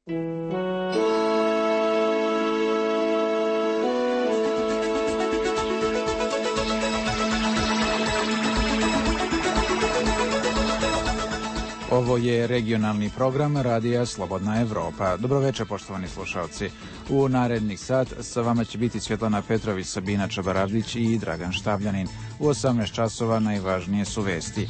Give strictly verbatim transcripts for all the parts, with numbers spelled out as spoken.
Ovo je regionalni program Radija Slobodna Evropa. Dobroveče, poštovani slušalci. U narednih sat sa vama će biti Svjetlana Petrović, Sabina Čabaravdić i Dragan Štavljanin. U osamnaest časova najvažnije su vesti.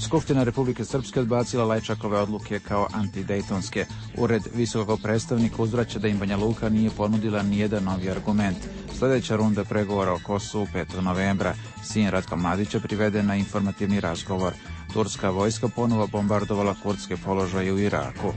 Skupština Republike Srpske odbacila Lajčakove odluke kao antidejtonske. Ured visokog predstavnika uzvraća da im Banja Luka nije ponudila nijedan novi argument. Sljedeća runda pregovora o Kosovu petog novembra. Sin Ratka Mladića priveden na informativni razgovor. Turska vojska ponovo bombardovala kurdske položaje u Iraku.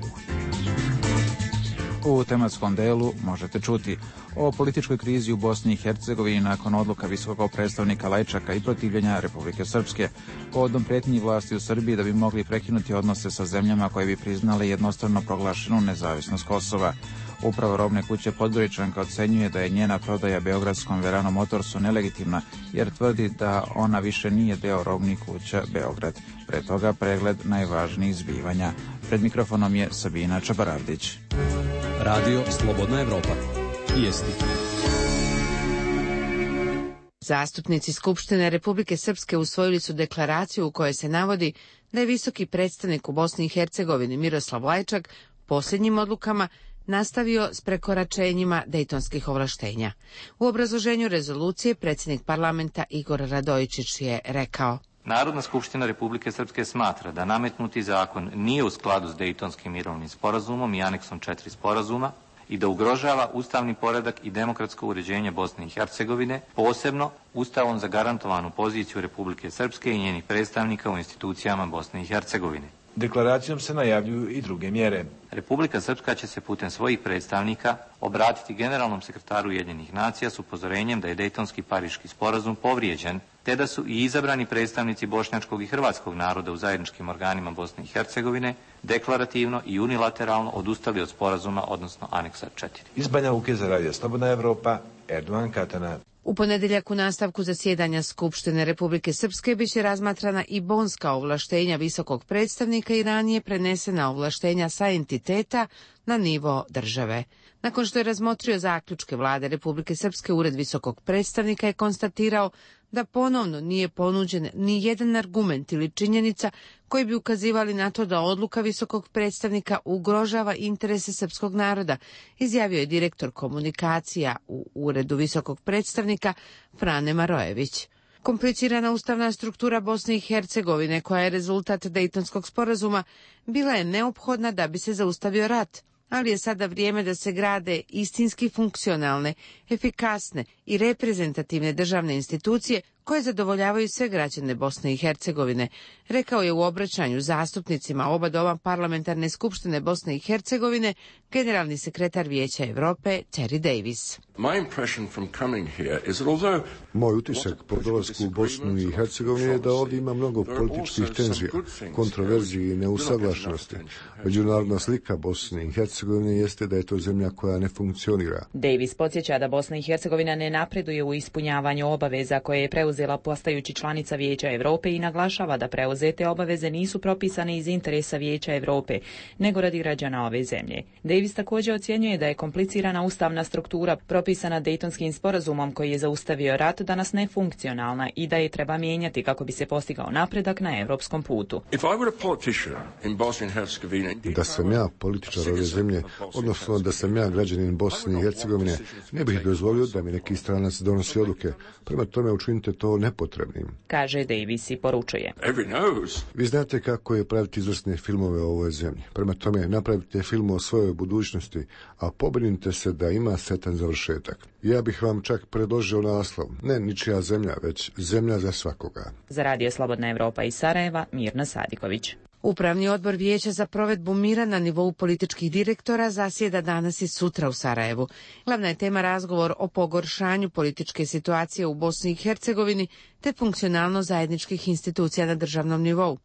U tematskom delu možete čuti o političkoj krizi u Bosni i Hercegovini nakon odluka visokog predstavnika Lajčaka i protivljenja Republike Srpske, povodom pretnji vlasti u Srbiji da bi mogli prekinuti odnose sa zemljama koje bi priznale jednostrano proglašenu nezavisnost Kosova. Upravo robne kuće Podgoričanka ocenjuje da je njena prodaja beogradskom Verano Motorsu nelegitimna, jer tvrdi da ona više nije deo robnih kuća Beograd. Pre toga pregled najvažnijih zbivanja. Pred mikrofonom je Sabina Čabaravdić. Radio Slobodna Evropa. Vijesti. Zastupnici Skupštine Republike Srpske usvojili su deklaraciju u kojoj se navodi da je visoki predstavnik u Bosni i Hercegovini Miroslav Lajčak posljednjim odlukama nastavio s prekoračenjima dejtonskih ovlaštenja. U obrazloženju rezolucije predsjednik parlamenta Igor Radojičić je rekao: Narodna skupština Republike Srpske smatra da nametnuti zakon nije u skladu s Dejtonskim mirovnim sporazumom i aneksom četiri sporazuma i da ugrožava ustavni poredak i demokratsko uređenje Bosne i Hercegovine, posebno ustavom zagarantovanu poziciju Republike Srpske i njenih predstavnika u institucijama Bosne i Hercegovine. Deklaracijom se najavljuju i druge mjere. Republika Srpska će se putem svojih predstavnika obratiti generalnom sekretaru Ujedinjenih nacija s upozorenjem da je Dejtonski pariški sporazum povrijeđen, te da su i izabrani predstavnici bošnjačkog i hrvatskog naroda u zajedničkim organima Bosne i Hercegovine deklarativno i unilateralno odustali od sporazuma, odnosno aneksa četiri. Iz Banja Luke za Radio Slobodna Evropa, Erdogan Katana. U ponedjeljak u nastavku zasjedanja Skupštine Republike Srpske biće razmatrana i bonska ovlaštenja visokog predstavnika i ranije prenesena ovlaštenja sa entiteta na nivo države. Nakon što je razmotrio zaključke vlade Republike Srpske, Ured visokog predstavnika je konstatirao da ponovno nije ponuđen ni jedan argument ili činjenica koji bi ukazivali na to da odluka visokog predstavnika ugrožava interese srpskog naroda, izjavio je direktor komunikacija u Uredu visokog predstavnika Frane Marojević. Komplicirana ustavna struktura Bosne i Hercegovine, koja je rezultat Dejtonskog sporazuma, bila je neophodna da bi se zaustavio rat, ali je sada vrijeme da se grade istinski funkcionalne, efikasne i reprezentativne državne institucije koje zadovoljavaju sve građane Bosne i Hercegovine, rekao je u obraćanju zastupnicima oba doma parlamentarne skupštine Bosne i Hercegovine generalni sekretar Vijeća Europe Terry Davis. Moj utisak po dolasku u Bosnu i Hercegovinu je da ovdje ima mnogo političkih tenzija, kontroverziji i neusaglašenosti. Međunarodna slika Bosne i Hercegovine jeste da je to zemlja koja ne funkcionira. Davis podsjeća da Bosna i Hercegovina ne napreduje u ispunjavanju obaveza koje je preuzela postajući članica Vijeća Europe i naglašava da preuzete obaveze nisu propisane iz interesa Vijeća Europe, nego radi građana ove zemlje. Davis također ocjenjuje da je komplicirana ustavna struktura propisana Dejtonskim sporazumom koji je zaustavio rat danas nefunkcionalna i da je treba mijenjati kako bi se postigao napredak na europskom putu. Da sam ja političar ove zemlje, odnosno da sam ja građanin Bosne i Hercegovine, ne bih dozvolio da mi neki stranac donosi odluke. Prema tome učinite to nepotrebnim, kaže Davis i poručuje. Vi znate kako je praviti izvrsne filmove o ovoj zemlji. Prema tome napravite film o svojoj budućnosti, a pobrinite se da ima sretan završetak. Ja bih vam čak predložio naslov, ne ničija zemlja, već zemlja za svakoga. Za Radio Slobodna Evropa iz Sarajeva, Mirna Sadiković. Upravni odbor Vijeća za provedbu mira na nivou političkih direktora zasjeda danas i sutra u Sarajevu. Glavna je tema razgovor o pogoršanju političke situacije u Bosni i Hercegovini te funkcionalno zajedničkih institucija na državnom nivou.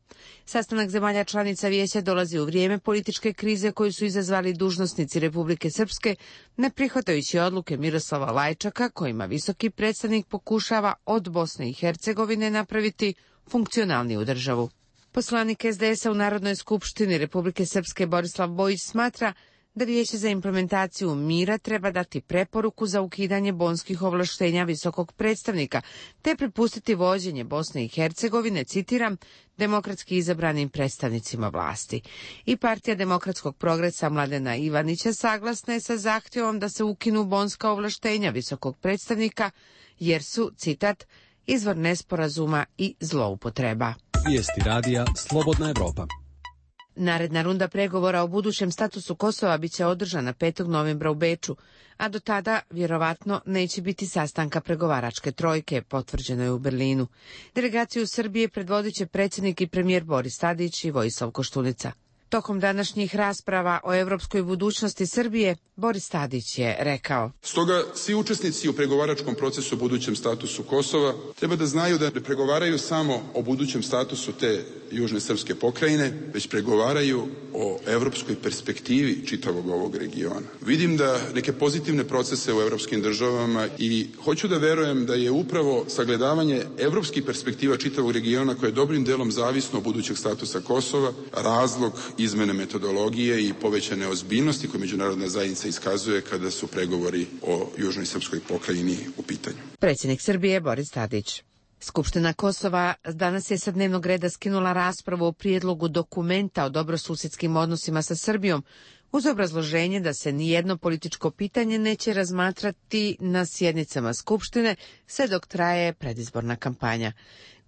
Sastanak zemalja članica Vijeća dolazi u vrijeme političke krize koju su izazvali dužnosnici Republike Srpske, ne prihvatajući odluke Miroslava Lajčaka kojima visoki predstavnik pokušava od Bosne i Hercegovine napraviti funkcionalniju državu. Poslanik es de esa u Narodnoj skupštini Republike Srpske Borislav Bojić smatra da Vijeće za implementaciju mira treba dati preporuku za ukidanje bonskih ovlaštenja visokog predstavnika, te prepustiti vođenje Bosne i Hercegovine, citiram, demokratski izabranim predstavnicima vlasti. I partija Demokratskog progresa Mladena Ivanića saglasna je sa zahtjevom da se ukinu bonska ovlaštenja visokog predstavnika, jer su, citat, izvor nesporazuma i zloupotreba. Vijesti radija Slobodna Evropa. Naredna runda pregovora o budućem statusu Kosova biće održana petog novembra u Beču, a do tada vjerovatno neće biti sastanka pregovaračke trojke, potvrđeno je u Berlinu. Delegaciju Srbije predvodit će predsjednik i premijer Boris Tadić i Vojislav Koštunica. Tokom današnjih rasprava o europskoj budućnosti Srbije, Boris Tadić je rekao: Stoga svi učesnici u pregovaračkom procesu o budućem statusu Kosova treba da znaju da ne pregovaraju samo o budućem statusu te južne srpske pokrajine, već pregovaraju o evropskoj perspektivi čitavog ovog regiona. Vidim da neke pozitivne procese u evropskim državama i hoću da verujem da je upravo sagledavanje evropskih perspektiva čitavog regiona, koje je dobrim delom zavisno od budućeg statusa Kosova, razlog izmene metodologije i povećane ozbiljnosti koje međunarodna zajednica iskazuje kada su pregovori o južnoj srpskoj pokrajini u pitanju. Predsjednik Srbije Boris Tadić. Skupština Kosova danas je sa dnevnog reda skinula raspravu o prijedlogu dokumenta o dobrosusjedskim odnosima sa Srbijom, uz obrazloženje da se nijedno političko pitanje neće razmatrati na sjednicama Skupštine sve dok traje predizborna kampanja.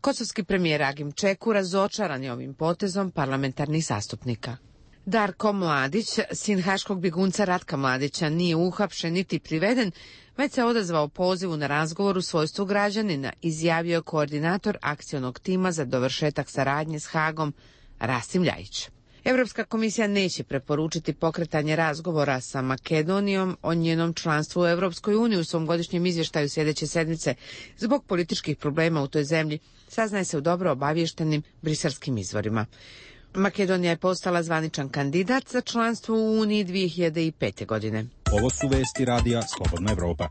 Kosovski premijer Agim Čeku razočaran je ovim potezom parlamentarnih zastupnika. Darko Mladić, sin haškog bjegunca Ratka Mladića, nije uhapšen niti priveden, već se odazvao pozivu na razgovor u svojstvu građanina, izjavio je koordinator akcionog tima za dovršetak saradnje s Hagom Rasim Ljajić. Europska komisija neće preporučiti pokretanje razgovora sa Makedonijom o njenom članstvu u Europskoj uniji u svom godišnjem izvještaju sljedeće sedmice zbog političkih problema u toj zemlji, saznaje se u dobro obaviještenim briselskim izvorima. Makedonija je postala zvaničan kandidat za članstvo u Uniji dvije hiljade pete. godine. Ovo su vesti radija Slobodna Evropa.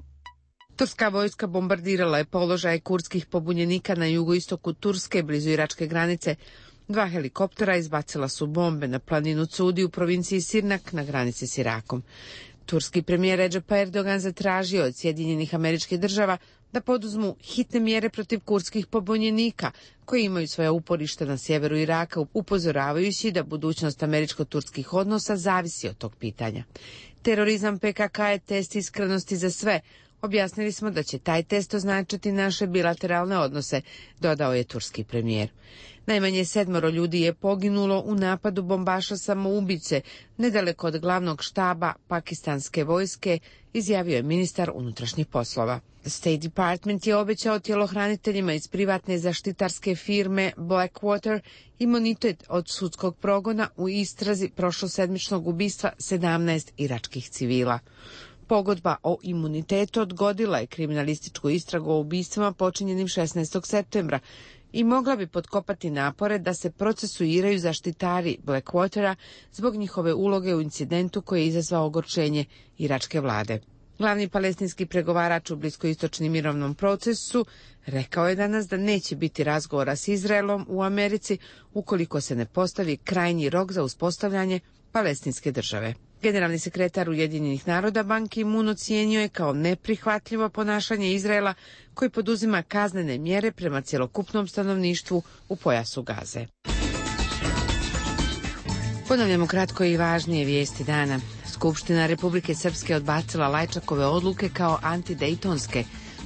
Turska vojska bombardirala je položaje kurdskih pobunjenika na jugoistoku Turske, blizu iračke granice. Dva helikoptera izbacila su bombe na planinu Cudi u provinciji Sirnak na granici s Irakom. Turski premijer Recep Erdogan zatražio od Sjedinjenih Američkih Država da poduzmu hitne mjere protiv kurdskih pobunjenika koji imaju svoja uporišta na sjeveru Iraka, upozoravajući da budućnost američko-turskih odnosa zavisi od tog pitanja. Terorizam P K K je test iskrenosti za sve. Objasnili smo da će taj test označiti naše bilateralne odnose, dodao je turski premijer. Najmanje sedmoro ljudi je poginulo u napadu bombaša samoubice nedaleko od glavnog štaba pakistanske vojske, izjavio je ministar unutrašnjih poslova. State Department je obećao tjelohraniteljima iz privatne zaštitarske firme Blackwater imunitet od sudskog progona u istrazi prošlosedmičnog ubistva sedamnaest iračkih civila. Pogodba o imunitetu odgodila je kriminalističku istragu o ubistvima počinjenim šesnaestog septembra i mogla bi potkopati napore da se procesuiraju zaštitari Blackwatera zbog njihove uloge u incidentu koji je izazvao ogorčenje iračke vlade. Glavni palestinski pregovarač u bliskoistočnom mirovnom procesu rekao je danas da neće biti razgovora s Izraelom u Americi ukoliko se ne postavi krajnji rok za uspostavljanje palestinske države. Generalni sekretar Ujedinjenih naroda Ban Ki-moon ocijenio je kao neprihvatljivo ponašanje Izraela koji poduzima kaznene mjere prema cjelokupnom stanovništvu u pojasu Gaze. Ponavljamo kratko i važnije vijesti dana. Skupština Republike Srpske odbacila Lajčakove odluke kao antidejtonske.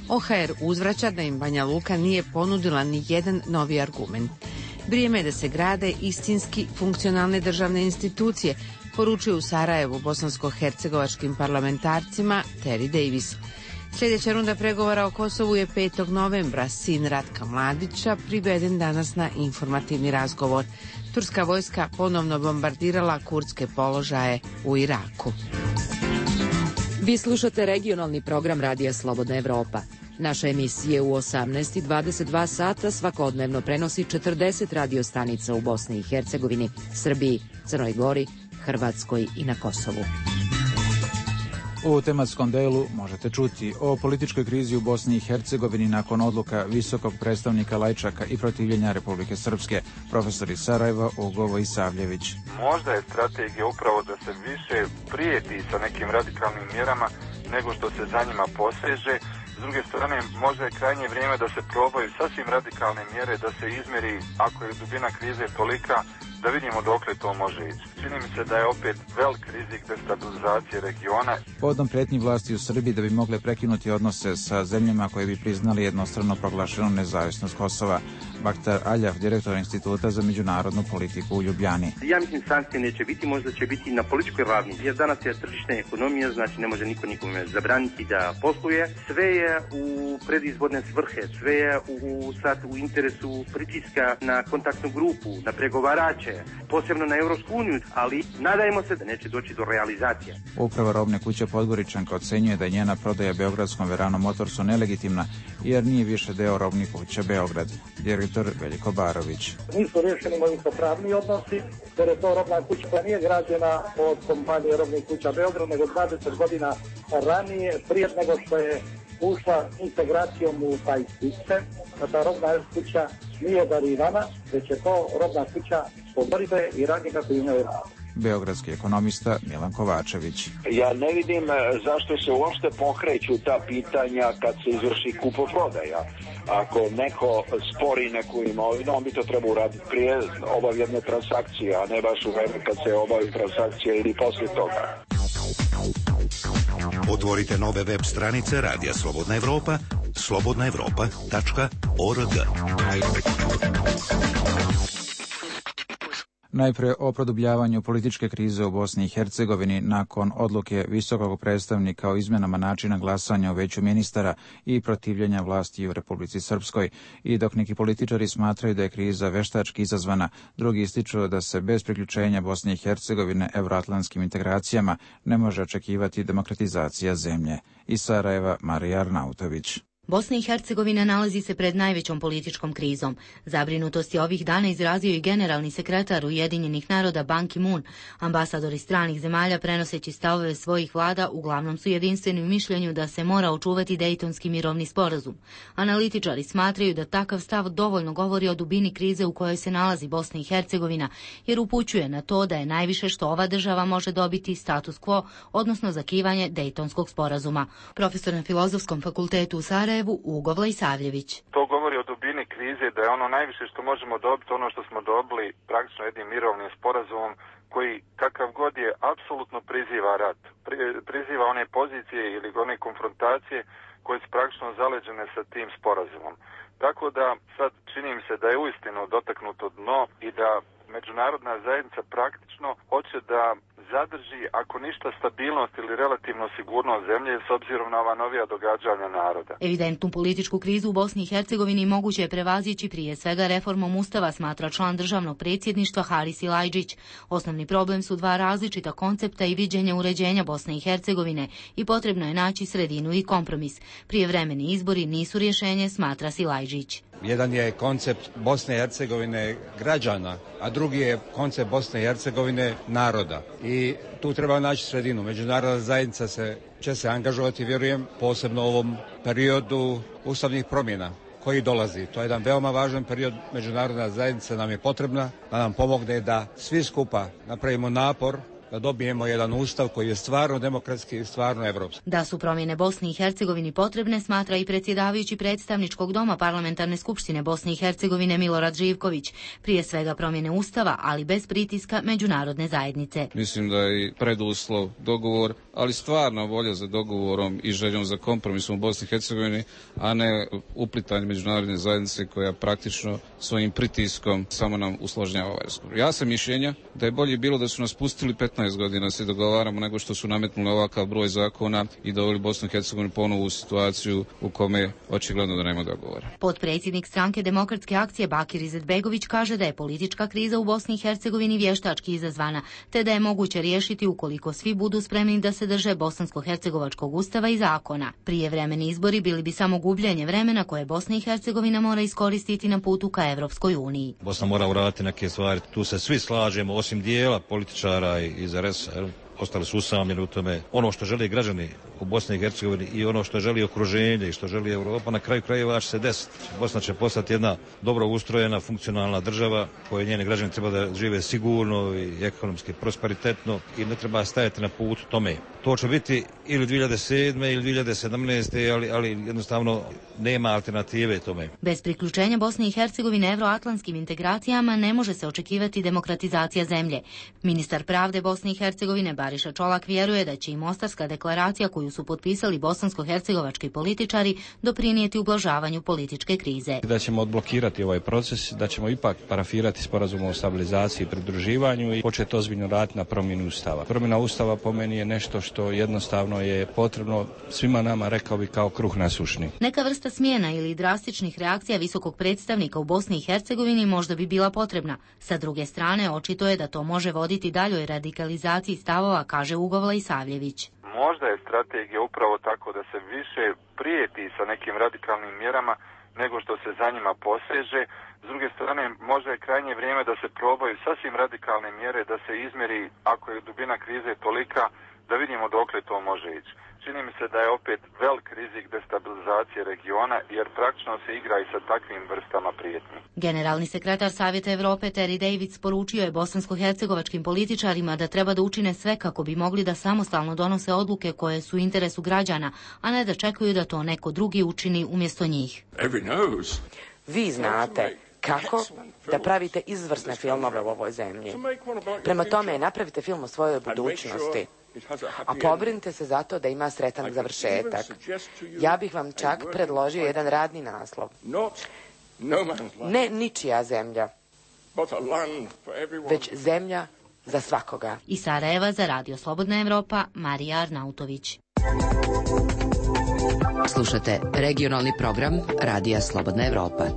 O H R uzvraća da im Banja Luka nije ponudila ni jedan novi argument. Vrijeme je da se grade istinski funkcionalne državne institucije, poručuje u Sarajevu bosansko-hercegovačkim parlamentarcima Terry Davis. Sljedeća runda pregovora o Kosovu je petog novembra. Sin Ratka Mladića priveden danas na informativni razgovor. Turska vojska ponovno bombardirala kurdske položaje u Iraku. Vi slušate regionalni program Radija Slobodna Evropa. Naše emisije u osamnaest i dvadeset dva sata svakodnevno prenosi četrdeset radio stanica u Bosni i Hercegovini, Srbiji, Crnoj Gori, Hrvatskoj i na Kosovu. U tematskom delu možete čuti o političkoj krizi u Bosni i Hercegovini nakon odluka visokog predstavnika Lajčaka i protivljenja Republike Srpske. Profesor iz Sarajeva Ugo Isavljević. Možda je strategija upravo da se više prijeti sa nekim radikalnim mjerama nego što se za njima poseže. S druge strane, možda je krajnje vrijeme da se probaju sasvim radikalne mjere, da se izmjeri, ako je dubina krize tolika, da vidimo dokle to može ići. Čini mi se da je opet velik rizik destabilizacije regiona. Povodom prijetnji vlasti u Srbiji da bi mogle prekinuti odnose sa zemljama koje bi priznali jednostrano proglašenu nezavisnost Kosova. Baktar Aljaf, direktor Instituta za međunarodnu politiku u Ljubljani. Ja mislim sankcije neće biti, možda će biti na političkoj ravni. Jer danas je tržišna ekonomija, znači ne može niko nikome zabraniti da posluje. Sve je u predizborne svrhe, sve je u, sad u interesu pritiska na kontaktnu grupu, na pregovarače, posebno na Europsku uniju, ali nadajmo se da neće doći do realizacije. Uprava robne kuće Podgoričanka ocenjuje da je njena prodaja beogradskom Verano Motorsu nelegitimna jer nije više deo robnih kuća Beograd. Direktor Veljko Barović. Nisu rješeni imovinsko-pravni odnosi, jer je to robna kuća koja nije građena od kompanije robnih kuća Beograd, nego dvadeset godina ranije, prije nego što je ušla integracijom u taj sistem. Ta robna kuća nije darivana, već je to robna kuća pogodbe i radnika koji imaju rad. Beogradski ekonomista Milan Kovačević. Ja ne vidim zašto se uopšte pokreću ta pitanja kad se izvrši kupoprodaja. Ako neko spori neku imovinu, on bi to trebao uraditi prije obavljene transakcije, a ne baš u vreme kad se obavi transakcije ili poslije toga. Otvorite nove web stranice Radija Slobodna Evropa, slobodna evropa tačka org. Najpre o produbljavanju političke krize u Bosni i Hercegovini nakon odluke visokog predstavnika o izmenama načina glasanja o veću ministara i protivljenja vlasti u Republici Srpskoj. I dok neki političari smatraju da je kriza veštački izazvana, drugi ističu da se bez priključenja Bosne i Hercegovine evroatlantskim integracijama ne može očekivati demokratizacija zemlje. Iz Sarajeva Marija Arnautović. Bosna i Hercegovina nalazi se pred najvećom političkom krizom. Zabrinutost je ovih dana izrazio i generalni sekretar Ujedinjenih naroda Ban Ki-moon. Ambasadori stranih zemalja, prenoseći stavove svojih vlada, uglavnom su jedinstveni u mišljenju da se mora očuvati Dejtonski mirovni sporazum. Analitičari smatraju da takav stav dovoljno govori o dubini krize u kojoj se nalazi Bosna i Hercegovina, jer upućuje na to da je najviše što ova država može dobiti status quo, odnosno zakivanje Dejtonskog sporazuma. Profesor na Filozofskom fakultetu u Sarajevu Ugo Isavljević. To govori o dubini krize, da je ono najviše što možemo dobiti, ono što smo dobili praktično jednim mirovnim sporazumom koji kakav god je apsolutno priziva rat, pri, priziva one pozicije ili one konfrontacije koje su praktično zaleđene sa tim sporazumom. Tako da sad čini mi se da je uistinu dotaknuto dno i da međunarodna zajednica praktično hoće da zadrži, ako ništa, stabilnost ili relativno sigurnost zemlje s obzirom na ova novija događanja naroda. Evidentnu političku krizu u Bosni i Hercegovini moguće je prevazići prije svega reformom Ustava, smatra član državnog predsjedništva Haris Ilajđić. Osnovni problem su dva različita koncepta i viđenja uređenja Bosne i Hercegovine i potrebno je naći sredinu i kompromis. Prijevremeni izbori nisu rješenje, smatra Silajđić. Jedan je koncept Bosne i Hercegovine građana, a drugi je koncept Bosne i Hercegovine naroda. I tu treba naći sredinu. Međunarodna zajednica se, će se angažovati, vjerujem, posebno u ovom periodu ustavnih promjena koji dolazi. To je jedan veoma važan period. Međunarodna zajednica nam je potrebna da nam pomogne da svi skupa napravimo napor da dobijemo jedan ustav koji je stvarno demokratski i stvarno evropski. Da su promjene Bosni i Hercegovini potrebne, smatra i predsjedavajući predstavničkog doma Parlamentarne skupštine Bosne i Hercegovine Milorad Živković. Prije svega promjene ustava, ali bez pritiska međunarodne zajednice. Mislim da je preduslov dogovor, ali stvarna volja za dogovorom i željom za kompromisom u Bosni i Hercegovini, a ne uplitanje međunarodne zajednice koja praktično svojim pritiskom samo nam usložnjava ovaj razgovor. Ja sam mišljenja da je bolje bilo da su nas pustili petnaest godina se dogovaramo nego što su nametnuli ovakav broj zakona i doveli Bosnu i Hercegovinu ponovu u situaciju u kome očigledno da nema dogovora. Potpredsjednik stranke Demokratske akcije Bakir Izetbegović kaže da je politička kriza u Bosni i Hercegovini vještački izazvana, te da je moguće riješiti ukoliko svi budu spremni da se drže bosansko-hercegovačkog ustava i zakona. Prijevremeni izbori bili bi samo gubljenje vremena koje Bosna i Hercegovina mora iskoristiti na putu ka Evropskoj uniji. Bosna mora uraditi neke stvari, tu se svi slažemo, osim dijela političara i iz R S A, ostali su usamljeni u tome. Ono što žele građani u Bosni i Hercegovini i ono što želi okruženje i što želi Europa, na kraju krajeva će se desiti. Bosna će postati jedna dobro ustrojena, funkcionalna država koje njeni građani treba da žive sigurno i ekonomski prosperitetno i ne treba stajati na put tome. To će biti ili dvije hiljade sedme ili dvije hiljade sedamnaeste. ali, ali jednostavno nema alternative tome. Bez priključenja Bosne i Hercegovine evroatlantskim integracijama ne može se očekivati demokratizacija zemlje. Ministar pravde Bosne i Hercegovine Bariša Čolak vjeruje da će i Mostarska deklaracija koju su potpisali bosansko-hercegovački političari doprinijeti ublažavanju političke krize. Da ćemo odblokirati ovaj proces, da ćemo ipak parafirati sporazum o stabilizaciji i pridruživanju i početi ozbiljno raditi na promjeni ustava. Promjena ustava po meni je nešto što jednostavno je potrebno svima nama, rekao bi, kao kruh na sušni. Neka vrsta smjena ili drastičnih reakcija visokog predstavnika u Bosni i Hercegovini možda bi bila potrebna. Sa druge strane, očito je da to može voditi daljoj radikalizaciji stavova, kaže Ugovla Isavljević. Možda je strategija upravo tako da se više prijeti sa nekim radikalnim mjerama nego što se za njima poseže. S druge strane, možda je krajnje vrijeme da se probaju sasvim radikalne mjere, da se izmjeri, ako je dubina krize tolika, da vidimo dokle to može ići. Čini mi se da je opet velik rizik destabilizacije regiona, jer praktično se igra i sa takvim vrstama prijetnji. Generalni sekretar Savjeta Evrope Terry Davids poručio je bosansko-hercegovačkim političarima da treba da učine sve kako bi mogli da samostalno donose odluke koje su u interesu građana, a ne da čekaju da to neko drugi učini umjesto njih. Vi znate kako da pravite izvrsne filmove u ovoj zemlji. Prema tome, napravite film o svojoj budućnosti, a pobrinite se za to da ima sretan završetak. Ja bih vam čak predložio jedan radni naslov. Ne ničija zemlja, već zemlja za svakoga. Iz Sarajeva za Radio Slobodna Evropa, Marija Arnautović. Slušate regionalni program Radija Slobodna Evropa.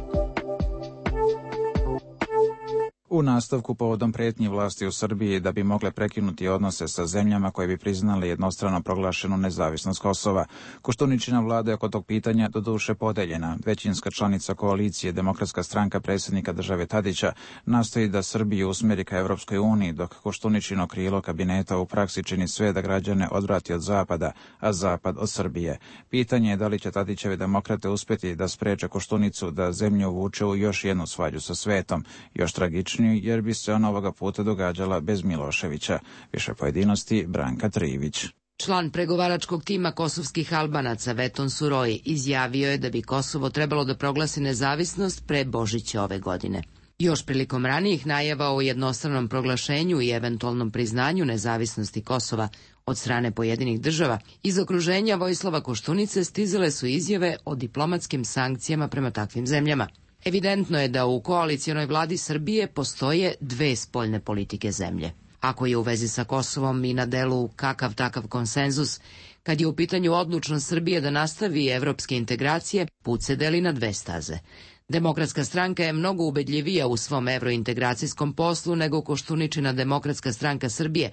U nastavku povodom pretnji vlasti u Srbiji da bi mogle prekinuti odnose sa zemljama koje bi priznali jednostrano proglašenu nezavisnost Kosova, Koštuničina vlada je oko tog pitanja doduše podeljena. Većinska članica koalicije Demokratska stranka predsjednika države Tadića nastoji da Srbiju usmjeri ka Evropskoj uniji, dok Koštuničino krilo kabineta u praksi čini sve da građane odvrati od Zapada, a Zapad od Srbije. Pitanje je da li će Tadićeve demokrate uspjeti da spreče Koštunicu da zemlju uvuče u još jednu svađu sa svetom, još tragičniju, jer bi se ona ovoga puta događala bez Miloševića. Više pojedinosti Branka Trivić. Član pregovaračkog tima kosovskih Albanaca Veton Suroj izjavio je da bi Kosovo trebalo da proglasi nezavisnost pre Božića ove godine. Još prilikom ranijih najava o jednostranom proglašenju i eventualnom priznanju nezavisnosti Kosova od strane pojedinih država, iz okruženja Vojislava Koštunice stizale su izjave o diplomatskim sankcijama prema takvim zemljama. Evidentno je da u koalicionoj vladi Srbije postoje dve spoljne politike zemlje. Ako je u vezi sa Kosovom i na delu kakav takav konsenzus, kad je u pitanju odlučnost Srbije da nastavi evropske integracije, put se deli na dve staze. Demokratska stranka je mnogo ubedljivija u svom evrointegracijskom poslu nego Koštuničina Demokratska stranka Srbije,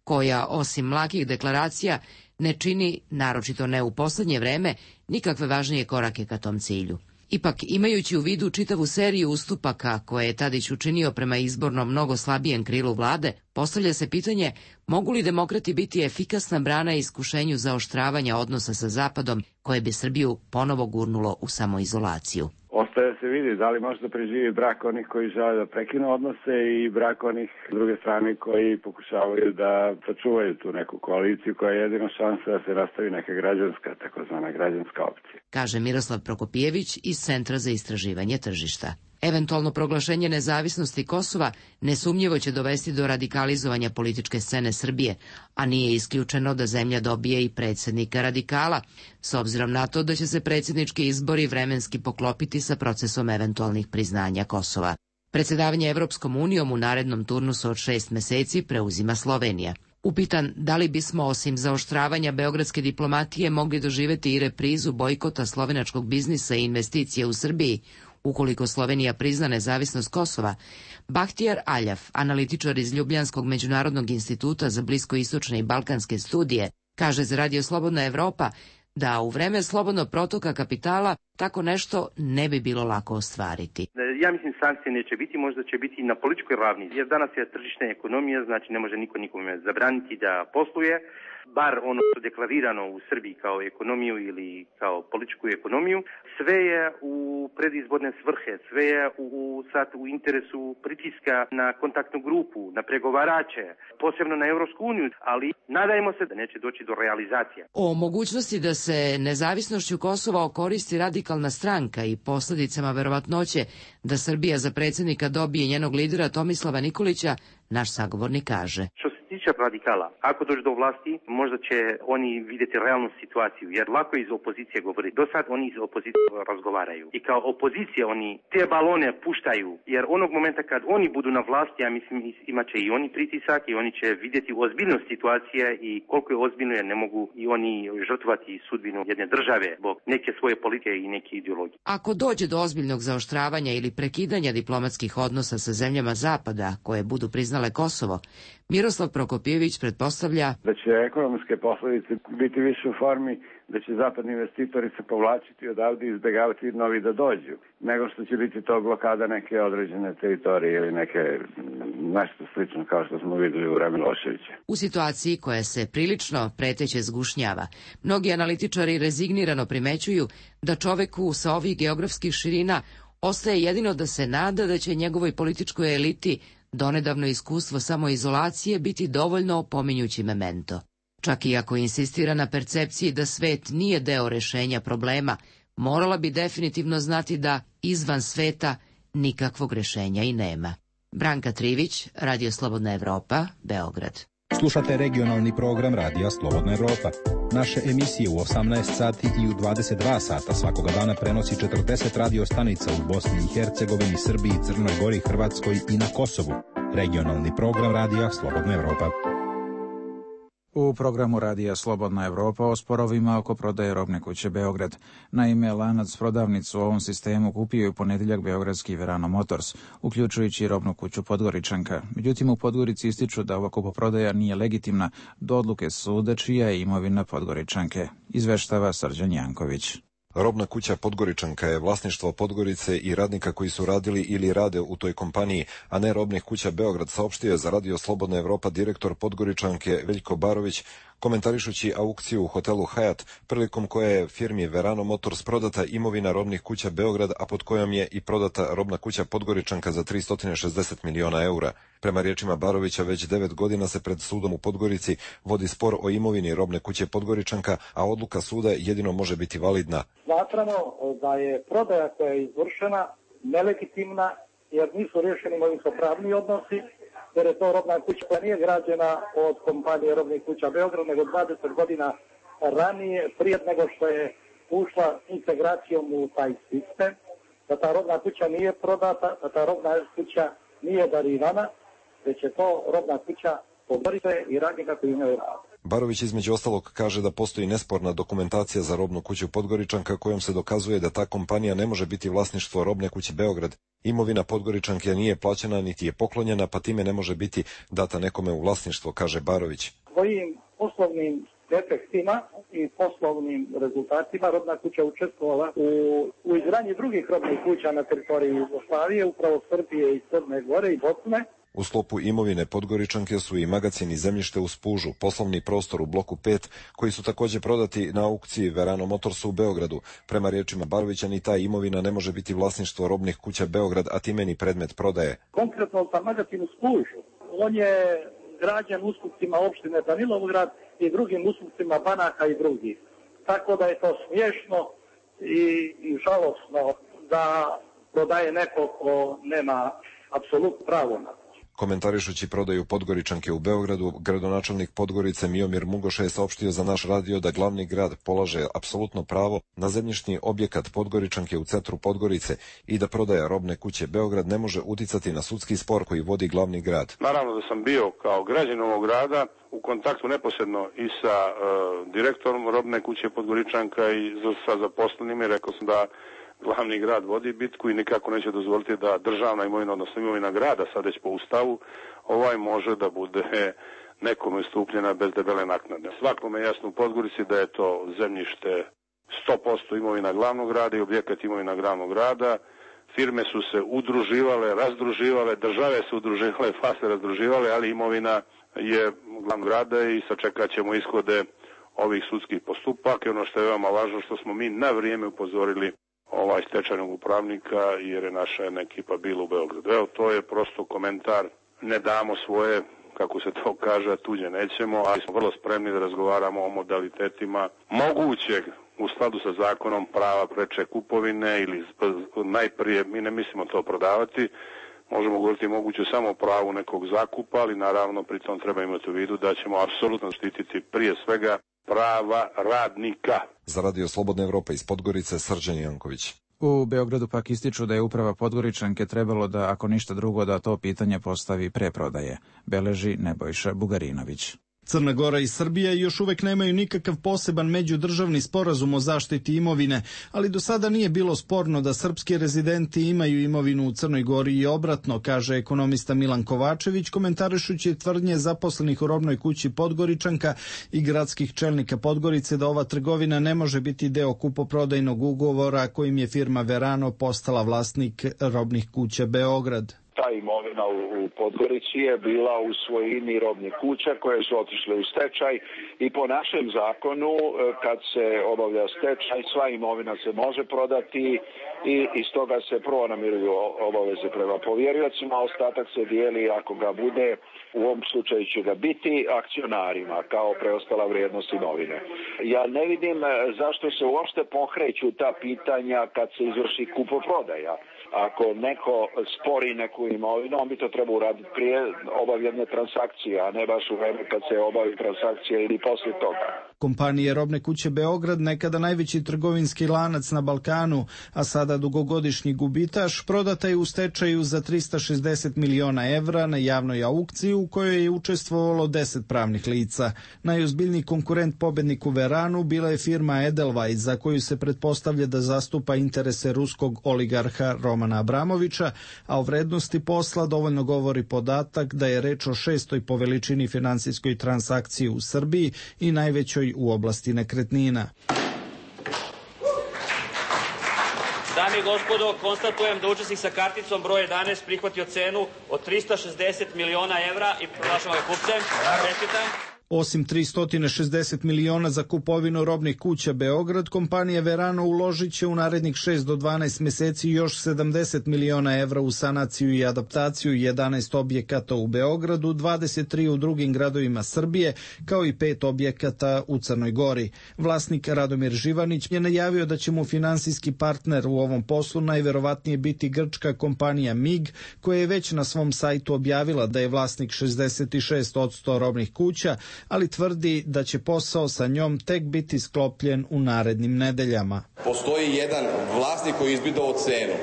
koja, osim mlakih deklaracija, ne čini, naročito ne u posljednje vreme, nikakve važnije korake ka tom cilju. Ipak, imajući u vidu čitavu seriju ustupaka koje je Tadić učinio prema izborno mnogo slabijem krilu vlade, postavlja se pitanje mogu li demokrati biti efikasna brana iskušenju zaoštravanja odnosa sa Zapadom koje bi Srbiju ponovo gurnulo u samoizolaciju. Ostaje se vidi da li može da preživi brak onih koji žele da prekinu odnose i brak onih s druge strane koji pokušavaju da sačuvaju tu neku koaliciju koja je jedina šansa da se nastavi neka građanska, takozvana građanska opcija. Kaže Miroslav Prokopijević iz Centra za istraživanje tržišta. Eventualno proglašenje nezavisnosti Kosova nesumnjivo će dovesti do radikalizovanja političke scene Srbije, a nije isključeno da zemlja dobije i predsjednika radikala, s obzirom na to da će se predsjednički izbori vremenski poklopiti sa procesom eventualnih priznanja Kosova. Predsjedavanje Evropskom unijom u narednom turnusu od šest meseci preuzima Slovenija. Upitan da li bismo osim zaoštravanja beogradske diplomatije mogli doživjeti i reprizu bojkota slovenačkog biznisa i investicije u Srbiji, ukoliko Slovenija prizna nezavisnost Kosova, Bahtijar Aljaf, analitičar iz Ljubljanskog međunarodnog instituta za bliskoistočne i balkanske studije, kaže za Radio Slobodna Evropa da u vreme slobodnog protoka kapitala tako nešto ne bi bilo lako ostvariti. Ja mislim sankcije neće biti, možda će biti na političkoj ravni, jer danas je tržišna ekonomija, znači ne može niko nikome zabraniti da posluje, bar ono što je deklarirano u Srbiji kao ekonomiju ili kao političku ekonomiju. Sve je u predizborne svrhe, sve je u, u, sad u interesu pritiska na kontaktnu grupu, na pregovarače, posebno na Europsku uniju, ali nadajmo se da neće doći do realizacije. O mogućnosti da se nezavisnošću Kosova okoristi radikalna stranka i posljedicama verovatnoće da Srbija za predsjednika dobije njenog lidera Tomislava Nikolića, naš sagovornik kaže. Što se tiče radikala, ako dođe do vlasti, možda će oni vidjeti realnu situaciju, jer lako iz opozicije govori. Do sad oni iz opozicije razgovaraju. I kao opozicija oni te balone puštaju, jer onog momenta kad oni budu na vlasti, ja mislim imat će i oni pritisak i oni će vidjeti ozbiljnost situacije i koliko je ozbiljno, jer ne mogu i oni žrtvati sudbinu jedne države zbog neke svoje politike i neke ideologije. Ako dođe do ozbiljnog zaoštravanja ili prekidanja diplomatskih odnosa sa zemljama Zapada koje budu priznale Kosovo, Miroslav Prokopijević pretpostavlja da će ekonomske posljedice biti više u formi da će zapadni investitori se povlačiti odavde i izbjegavati novi da dođu, nego što će biti to blokada neke određene teritorije ili neke nešto slično kao što smo vidjeli u vremenu Miloševića. U situaciji koja se prilično preteće zgušnjava, mnogi analitičari rezignirano primećuju da čoveku sa ovih geografskih širina ostaje jedino da se nada da će njegovoj političkoj eliti donedavno iskustvo samoizolacije biti dovoljno opominjući memento. Čak i ako insistira na percepciji da svet nije deo rešenja problema, morala bi definitivno znati da izvan sveta nikakvog rešenja i nema. Branka Trivić, Radio Slobodna Evropa, Beograd. Slušate regionalni program Radija Slobodna Evropa. Naše emisije u osamnaest sati i u dvadeset dva sata svakoga dana prenosi četrdeset radio stanica u Bosni i Hercegovini, Srbiji, Crnoj Gori, Hrvatskoj i na Kosovu. Regionalni program Radija Slobodna Evropa. U programu Radija Slobodna Evropa o sporovima oko prodaje robne kuće Beograd. Naime, lanac prodavnicu u ovom sistemu kupio je u ponedjeljak beogradski Verano Motors, uključujući i robnu kuću Podgoričanka. Međutim, u Podgorici ističu da ova kupoprodaja nije legitimna do odluke suda čija je imovina Podgoričanke, izveštava Srđan Janković. Robna kuća Podgoričanka je vlasništvo Podgorice i radnika koji su radili ili rade u toj kompaniji, a ne robnih kuća Beograd, saopštio je za Radio Slobodna Evropa direktor Podgoričanke Veljko Barović, komentarišući aukciju u hotelu Hyatt, prilikom koje je firmi Verano Motors prodata imovina robnih kuća Beograd, a pod kojom je i prodata robna kuća Podgoričanka za tristo šezdeset miliona eura. Prema riječima Barovića, već devet godina se pred sudom u Podgorici vodi spor o imovini robne kuće Podgoričanka, a odluka suda jedino može biti validna. Smatramo da je prodaja koja je izvršena nelegitimna, jer nisu riješeni imovinsko-pravni odnosi, jer je to robna kuća koja nije građena od kompanije robnih kuća Beograd, nego dvadeset godina ranije, prije nego što je ušla integracijom u taj sistem, da ta robna kuća nije prodata, da ta robna kuća nije darivana, već je to robna kuća Podgorice i radnika koji imaju rad. Barović između ostalog kaže da postoji nesporna dokumentacija za robnu kuću Podgoričanka kojom se dokazuje da ta kompanija ne može biti vlasništvo robne kuće Beograd. Imovina Podgoričanke nije plaćena niti je poklonjena, pa time ne može biti data nekome u vlasništvo, kaže Barović. Svojim poslovnim efektima i poslovnim rezultatima robna kuća učestvovala u, u izgradnji drugih robnih kuća na teritoriji Jugoslavije, upravo Srbije i Crne Gore i Bosne. U sklopu imovine Podgoričanke su i magacin i zemljište u Spužu, poslovni prostor u bloku pet, koji su također prodati na aukciji Verano Motorsu u Beogradu. Prema riječima Barovića, ni ta imovina ne može biti vlasništvo robnih kuća Beograd, a time ni predmet prodaje. Konkretno za magacin u Spužu, on je građen ustupcima opštine Danilovgrad i drugim ustupcima banaka i drugih. Tako da je to smiješno i, i žalosno da prodaje neko ko nema apsolutno pravo na. Komentarišući prodaju Podgoričanke u Beogradu, gradonačelnik Podgorice Miomir Mugoša je saopštio za naš radio da glavni grad polaže apsolutno pravo na zemljišni objekat Podgoričanke u centru Podgorice i da prodaja robne kuće Beograd ne može uticati na sudski spor koji vodi glavni grad. Naravno da sam bio kao građanin ovog grada u kontaktu neposredno i sa uh, direktorom robne kuće Podgoričanka i sa zaposlenima i rekao sam da glavni grad vodi bitku i nikako neće dozvoliti da državna imovina, odnosno imovina grada, sad već po ustavu, ovaj može da bude nekome ustupljena bez debele naknade. Svakome je jasno u Podgorici da je to zemljište sto posto imovina glavnog grada i objekat imovina glavnog grada, firme su se udruživale, razdruživale, države su udruživale, pa se razdruživale, ali imovina je glavnog grada i sačekat ćemo ishode ovih sudskih postupaka. I ono što je veoma važno, što smo mi na vrijeme upozorili ovaj stečajnog upravnika, jer je naša jedna ekipa bila u Beogradu. Evo, to je prosto komentar. Ne damo svoje, kako se to kaže, tuđe nećemo, ali smo vrlo spremni da razgovaramo o modalitetima mogućeg u skladu sa zakonom prava preče kupovine ili najprije, mi ne mislimo to prodavati, možemo govoriti moguće samo pravu nekog zakupa, ali naravno pritom treba imati u vidu da ćemo apsolutno štititi prije svega prava radnika. Za Radio Slobodna Evropa iz Podgorice, Srđan Janković. U Beogradu pak ističu da je uprava Podgoričanke trebalo da, ako ništa drugo, da to pitanje postavi pre prodaje, beleži Nebojša Bugarinović. Crna Gora i Srbija još uvek nemaju nikakav poseban međudržavni sporazum o zaštiti imovine, ali do sada nije bilo sporno da srpski rezidenti imaju imovinu u Crnoj Gori i obratno, kaže ekonomista Milan Kovačević, komentarišući tvrdnje zaposlenih u robnoj kući Podgoričanka i gradskih čelnika Podgorice da ova trgovina ne može biti deo kupoprodajnog ugovora kojim je firma Verano postala vlasnik robnih kuća Beograd. Ta imovina u Podgorici je bila u svojini robnih kuća koje su otišle u stečaj i po našem zakonu kad se obavlja stečaj sva imovina se može prodati i iz toga se prvo namiruju obaveze prema povjeriocima, a ostatak se dijeli ako ga bude, u ovom slučaju će ga biti, akcionarima kao preostala vrijednost imovine. Ja ne vidim zašto se uopšte pokreću ta pitanja kad se izvrši kupoprodaja. Ako neko spori neku imovinu, on bi to trebao uraditi prije obavljene transakcije, a ne baš u vreme kad se obavi transakcija ili poslije toga. Kompanije Robne kuće Beograd, nekada najveći trgovinski lanac na Balkanu, a sada dugogodišnji gubitaš, prodata je u stečaju za trista šezdeset miliona evra na javnoj aukciji u kojoj je učestvovalo deset pravnih lica. Najozbiljniji konkurent pobedniku Veranu bila je firma Edelweiss, za koju se pretpostavlja da zastupa interese ruskog oligarha Romana Abramovića, a o vrednosti posla dovoljno govori podatak da je reč o šestoj po veličini finansijskoj transakciji u Srbiji i najvećoj u oblasti nekretnina. Dame i gospodo, konstatujem da učesnik sa karticom broj jedanaest prihvatio cenu od trista šezdeset miliona evra i proglašavam ga kupcem. Čestitam. Osim tristo šezdeset miliona za kupovinu robnih kuća Beograd, kompanija Verano uložit će u narednih šest do dvanaest meseci još sedamdeset miliona evra u sanaciju i adaptaciju jedanaest objekata u Beogradu, dvadeset tri u drugim gradovima Srbije, kao i pet objekata u Crnoj Gori. Vlasnik Radomir Živanić je najavio da će mu finansijski partner u ovom poslu najverovatnije biti grčka kompanija M I G, koja je već na svom sajtu objavila da je vlasnik šezdeset šest posto robnih kuća, ali tvrdi da će posao sa njom tek biti sklopljen u narednim nedeljama. Postoji jedan vlasnik koji je izbidao cenu,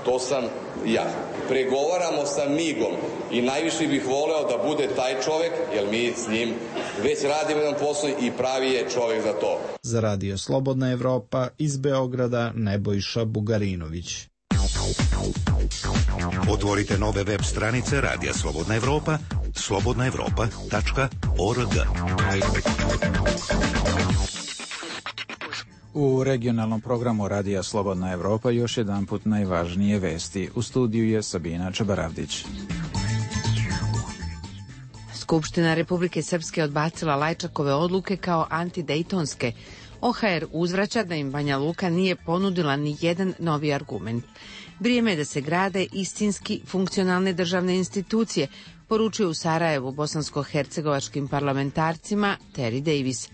to sam ja. Pregovaramo sa M I G-om i najviše bih voleo da bude taj čovek, jer mi s njim već radimo jedan posao i pravi je čovek za to. Za Radio Slobodna Evropa iz Beograda, Nebojša Bugarinović. Otvorite nove web stranice Radija Slobodna Evropa, slobodna evropa tačka org. U regionalnom programu Radija Slobodna Evropa još jedanput najvažnije vesti. U studiju je Sabina Čabaravdić. Skupština Republike Srpske odbacila Lajčakove odluke kao antidejtonske. O H R uzvraća da im Banja Luka nije ponudila ni jedan novi argument. Vrijeme je da se grade istinski funkcionalne državne institucije, poručuje u Sarajevu bosansko-hercegovačkim parlamentarcima Terry Davis.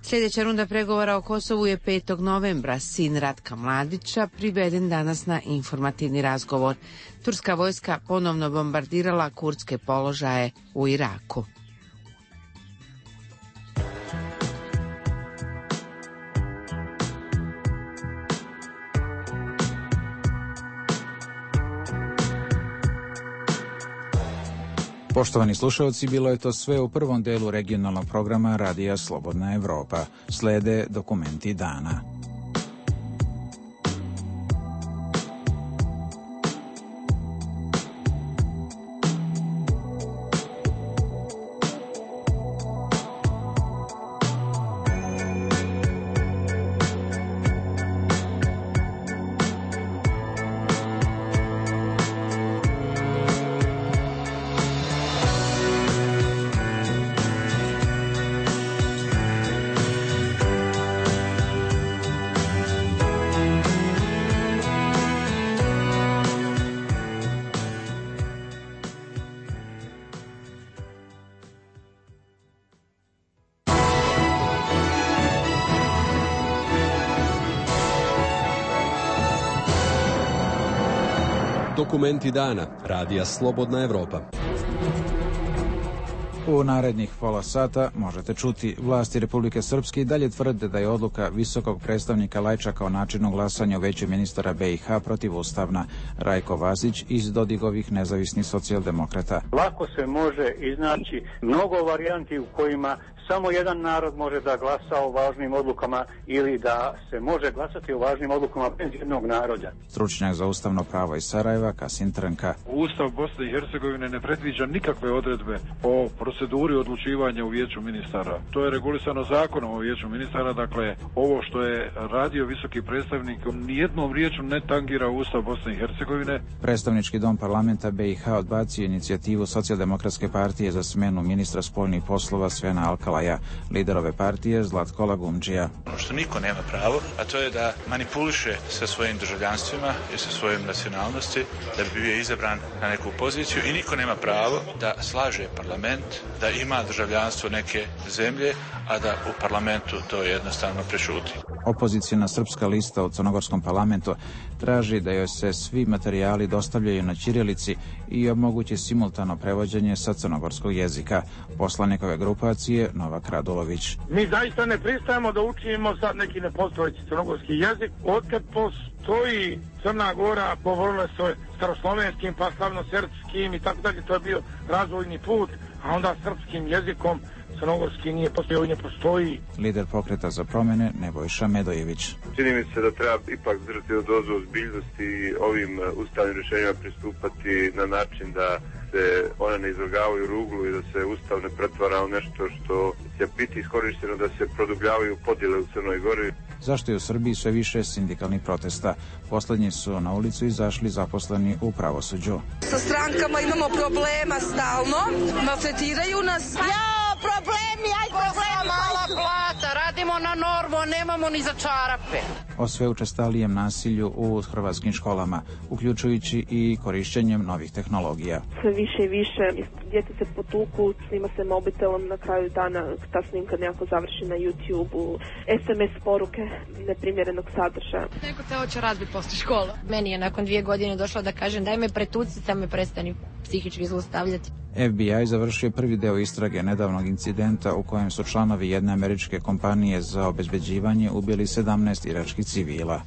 Sljedeća runda pregovora o Kosovu je petog novembra. Sin Ratka Mladića priveden danas na informativni razgovor. Turska vojska ponovno bombardirala kurdske položaje u Iraku. Poštovani slušalci, bilo je to sve u prvom delu regionalnog programa Radija Slobodna Evropa. Slede dokumenti dana. Dokumenti dana. Radija Slobodna Evropa. U narednih pola sata možete čuti vlasti Republike Srpske i dalje tvrde da je odluka visokog predstavnika Lajčaka o načinu glasanja u Veću ministara B i H protivustavna. Rajko Vasić iz Dodigovih nezavisnih socijaldemokrata. Lako se može iznaći mnogo varijanti u kojima samo jedan narod može da glasa o važnim odlukama ili da se može glasati o važnim odlukama bez jednog naroda. Stručnjak za ustavno pravo iz Sarajeva, Kasim Trnka. Ustav Bosne i Hercegovine ne predviđa nikakve odredbe o proceduri odlučivanja u Vijeću ministara. To je regulisano zakonom o Vijeću ministara, dakle ovo što je radio visoki predstavnik nijednom riječju ne tangira Ustav Bosne i Hercegovine. Predstavnički dom parlamenta B i H odbacio inicijativu Socijaldemokratske partije za smenu ministra spoljnih poslova Svena Alkala. Lider ove partije Zlatko Lagumdžija. Ono što niko nema pravo, a to je da manipuliše sa svojim državljanstvima i sa svojim nacionalnosti da bi bio izabran na neku poziciju i niko nema pravo da slaže parlament, da ima državljanstvo neke zemlje, a da u parlamentu to jednostavno prešuti. Opozicijna srpska lista u crnogorskom parlamentu traži da joj se svi materijali dostavljaju na ćirilici i omogući simultano prevođenje sa crnogorskog jezika. Poslanik ove grupacije Novak Radulović. Mi zaista ne pristajemo da učimo sad neki nepostojeći crnogorski jezik. Otkad postoji Crna Gora, govorila se staroslovenskim, pa slavnosrpskim i tako dalje, to je bio razvojni put, a onda srpskim jezikom crnogorski nije postojao i ne postoji. Lider Pokreta za promjene Nebojša Medojević. Čini mi se da treba ipak držati dozu ozbiljnosti i ovim ustavnim rješenjima pristupati na način da se one ne izvrgavaju ruglu i da se ustav ne pretvara u nešto što će biti iskorišteno da se produbljavaju podjele u Crnoj Gori. Zašto je u Srbiji sve više sindikalnih protesta? Poslednji su na ulicu izašli zaposleni u pravosuđu. Sa strankama imamo problema stalno, maltretiraju nas. Ja, problemi, aj problemi. Mala plata, radimo na normu, nemamo ni za čarape. O sve učestalijem nasilju u hrvatskim školama, uključujući i korišćenjem novih tehnologija. Sve više i više, djeca se potuku, snima se mobitelom, na kraju dana ta snimka nekako završi na YouTube-u, es em es poruke neprimjerenog sadržaja. Neko te hoće razbiti posle škola. Meni je nakon dvije godine došlo da kažem daj me pretuci, da me prestani psihički zlostavljati. F B I završio prvi deo istrage nedavnog incidenta u kojem su članovi jedne američke kompanije za obezbeđivanje ubili sedamnaest iračkih civila.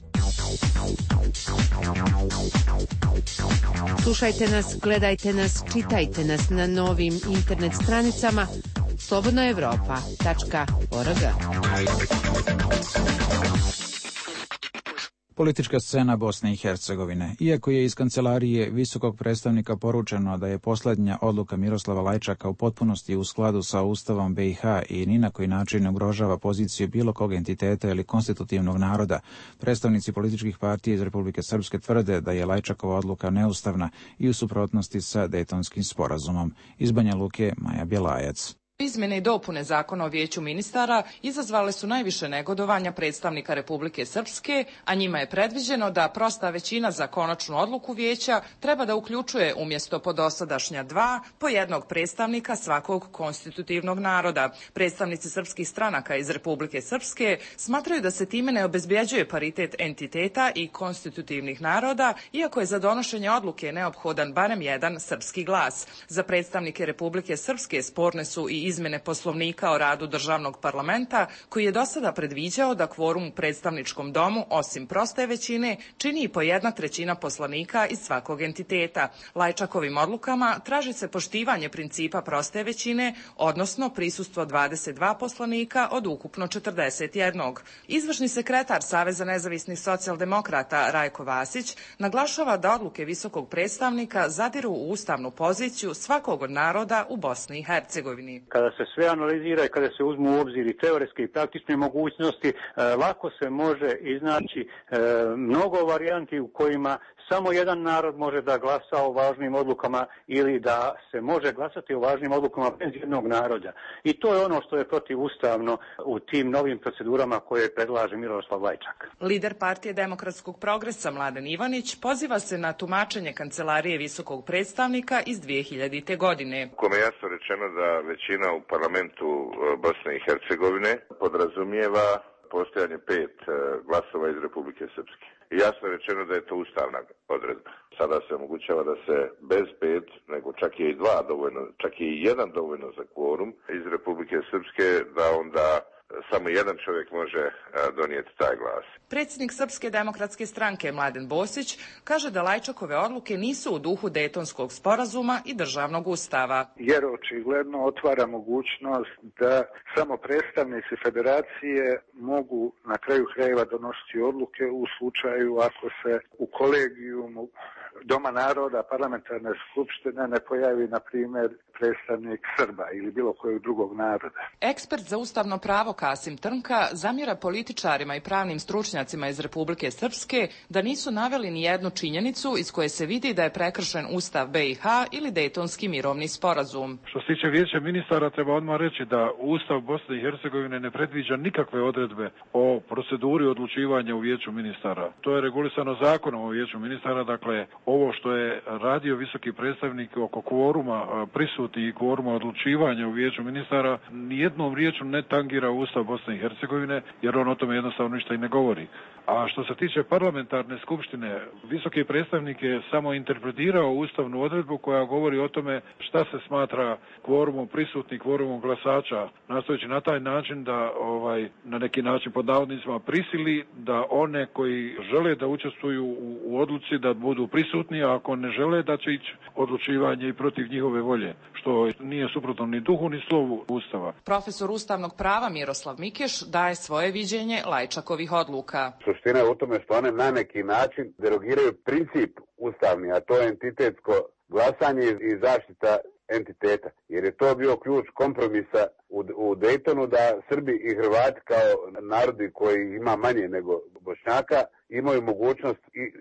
Slušajte nas, gledajte nas, čitajte nas na novim internet stranicama slobodna evropa tačka org. Politička scena Bosne i Hercegovine. Iako je iz kancelarije visokog predstavnika poručeno da je posljednja odluka Miroslava Lajčaka u potpunosti u skladu sa Ustavom B i H i ni na koji način ne ugrožava poziciju bilo kog entiteta ili konstitutivnog naroda, predstavnici političkih partija iz Republike Srpske tvrde da je Lajčakova odluka neustavna i u suprotnosti sa Dejtonskim sporazumom. Iz Banja Luke, Maja Bjelajac. Izmjene i dopune Zakona o Vijeću ministara izazvale su najviše negodovanja predstavnika Republike Srpske, a njima je predviđeno da prosta većina za konačnu odluku Vijeća treba da uključuje umjesto po dosadašnja dva po jednog predstavnika svakog konstitutivnog naroda. Predstavnici srpskih stranaka iz Republike Srpske smatraju da se time ne obezbjeđuje paritet entiteta i konstitutivnih naroda, iako je za donošenje odluke neophodan barem jedan srpski glas. Za predstavnike Republike Srpske sporne su i izmjene Poslovnika o radu državnog parlamenta, koji je do sada predviđao da kvorum u predstavničkom domu, osim proste većine, čini i po jedna trećina poslanika iz svakog entiteta. Lajčakovim odlukama traži se poštivanje principa proste većine, odnosno prisustvo dvadeset dva poslanika od ukupno četrdeset jedan. Izvršni sekretar Saveza nezavisnih socijaldemokrata Rajko Vasić naglašava da odluke visokog predstavnika zadiru u ustavnu poziciju svakog od naroda u Bosni i Hercegovini. Kada se sve analizira i kada se uzmu u obzir i teoretske i praktične mogućnosti, lako se može iznaći mnogo varijanti u kojima samo jedan narod može da glasa o važnim odlukama ili da se može glasati o važnim odlukama bez jednog naroda. I to je ono što je protivustavno u tim novim procedurama koje predlaže Miroslav Lajčak. Lider Partije demokratskog progresa Mladen Ivanić poziva se na tumačenje Kancelarije visokog predstavnika iz dvije hiljadite. godine. Kome je jasno rečeno da većina u parlamentu Bosne i Hercegovine podrazumijeva postojanje pet glasova iz Republike Srpske. I jasno je rečeno da je to ustavna odredba. Sada se omogućava da se bez pet, nego čak je i dva dovoljno, čak je i jedan dovoljno za kvorum iz Republike Srpske, da onda samo jedan čovjek može donijeti taj glas. Predsjednik Srpske demokratske stranke Mladen Bosić kaže da Lajčakove odluke nisu u duhu Dejtonskog sporazuma i državnog ustava. Jer očigledno otvara mogućnost da samo predstavnici federacije mogu na kraju krajeva donositi odluke u slučaju ako se u kolegijumu Doma naroda parlamentarne skupštine ne pojavi, na primjer, predstavnik Srba ili bilo kojeg drugog naroda. Ekspert za ustavno pravo Kasim Trnka zamjera političarima i pravnim stručnjacima iz Republike Srpske da nisu naveli ni jednu činjenicu iz koje se vidi da je prekršen Ustav B i H ili Dejtonski mirovni sporazum. Što se tiče vijeća ministara, treba odmah reći da Ustav Bosne i Hercegovine ne predviđa nikakve odredbe o proceduri odlučivanja u vijeću ministara. To je regulisano zakonom o vijeću ministara, dakle ovo što je radio visoki predstavnik oko kvoruma prisutni i kvoruma odlučivanja u vijeću ministara nijednom riječju ne tangira Ustav Bosne i Hercegovine, jer on o tome jednostavno ništa i ne govori. A što se tiče parlamentarne skupštine, visoki predstavnik je samo interpretirao ustavnu odredbu koja govori o tome šta se smatra kvorumom prisutnih, kvorumom glasača, nastojeći na taj način da ovaj na neki način pod navodnicima prisili da one koji žele da učestvuju u, u odluci da budu prisutni, a ako ne žele da će ići odlučivanje i protiv njihove volje, što nije suprotno ni duhu ni slovu Ustava. Profesor ustavnog prava Miroslav Mikeš daje svoje viđenje Lajčakovih odluka. Suština je u tome što one na neki način derogiraju princip ustavni, a to je entitetsko glasanje i zaštita entiteta. Jer je to bio ključ kompromisa u, u Dejtonu da Srbi i Hrvati kao narodi koji ima manje nego Bošnjaka imaju mogućnost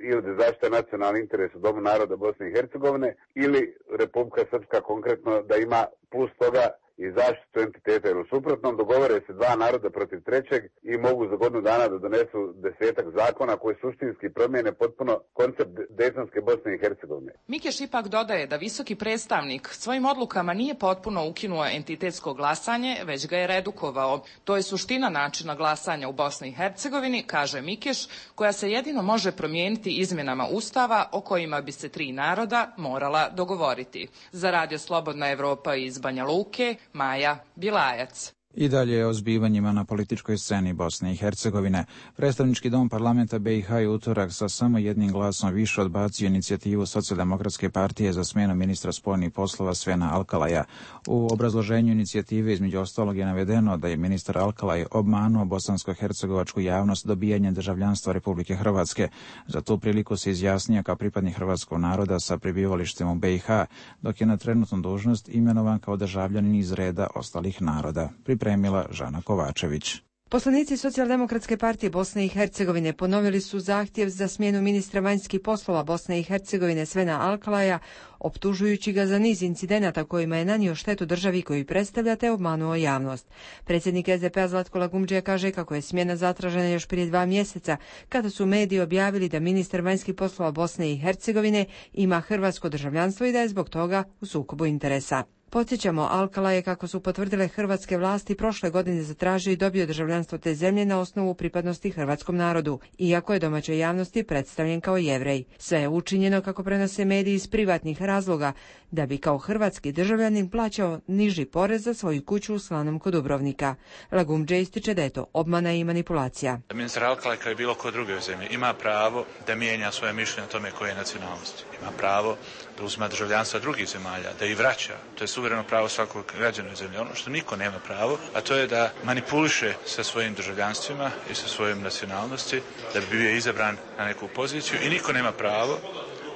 ili da zaštite nacionalni interes u Domu naroda Bosne i Hercegovine ili Republika Srpska konkretno da ima plus toga i zaštitu entiteta, jer u suprotnom dogovore se dva naroda protiv trećeg i mogu za godinu dana da donesu desetak zakona koji suštinski promijene potpuno koncept Dejtonske Bosne i Hercegovine. Mikeš ipak dodaje da visoki predstavnik svojim odlukama nije potpuno ukinuo entitetsko glasanje, već ga je redukovao. To je suština načina glasanja u Bosni i Hercegovini, kaže Mikeš, koja se jedino može promijeniti izmjenama Ustava o kojima bi se tri naroda morala dogovoriti. Za Radio Slobodna Evropa iz Banja Luke, Maja Bilajac. I dalje o zbivanjima na političkoj sceni Bosne i Hercegovine. Predstavnički dom parlamenta B i H je utorak sa samo jednim glasom više odbacio inicijativu Socijaldemokratske partije za smjenu ministra spoljnih poslova Svena Alkalaja. U obrazloženju inicijative između ostalog je navedeno da je ministar Alkalaj obmanuo bosansko-hercegovačku javnost dobijanjem državljanstva Republike Hrvatske. Za tu priliku se izjasnio kao pripadnik hrvatskog naroda sa prebivalištem u B i H, dok je na trenutnu dužnost imenovan kao državljanin iz reda ostalih naroda. Pripremila Žana Kovačević. Poslanici Socijaldemokratske partije Bosne i Hercegovine ponovili su zahtjev za smjenu ministra vanjskih poslova Bosne i Hercegovine Svena Alkalaja, optužujući ga za niz incidenata kojima je nanio štetu državi koju predstavlja te obmanuo javnost. Predsjednik S D P-a Zlatko Lagumdžija kaže kako je smjena zatražena još prije dva mjeseca, kada su mediji objavili da ministar vanjskih poslova Bosne i Hercegovine ima hrvatsko državljanstvo i da je zbog toga u sukobu interesa. Podsjećamo, Alkala je, kako su potvrdile hrvatske vlasti, prošle godine zatražio i dobio državljanstvo te zemlje na osnovu pripadnosti hrvatskom narodu, iako je domaćoj javnosti predstavljen kao Jevrej. Sve je učinjeno, kako prenose mediji, iz privatnih razloga, da bi kao hrvatski državljanin plaćao niži porez za svoju kuću u Slanom kod Dubrovnika. Lagumdže ističe da je to obmana i manipulacija. Ministar Alkala, kao i bilo ko druge u zemlji, ima pravo da mijenja svoje mišljenje o tome koje je nacionalnosti. Ima pravo da uzima državljanstva drugih zemalja, da ih vraća. To je suvereno pravo svakog građana zemlje. Ono što niko nema pravo, a to je da manipuliše sa svojim državljanstvima i sa svojim nacionalnosti, da bi bio izabran na neku poziciju, i niko nema pravo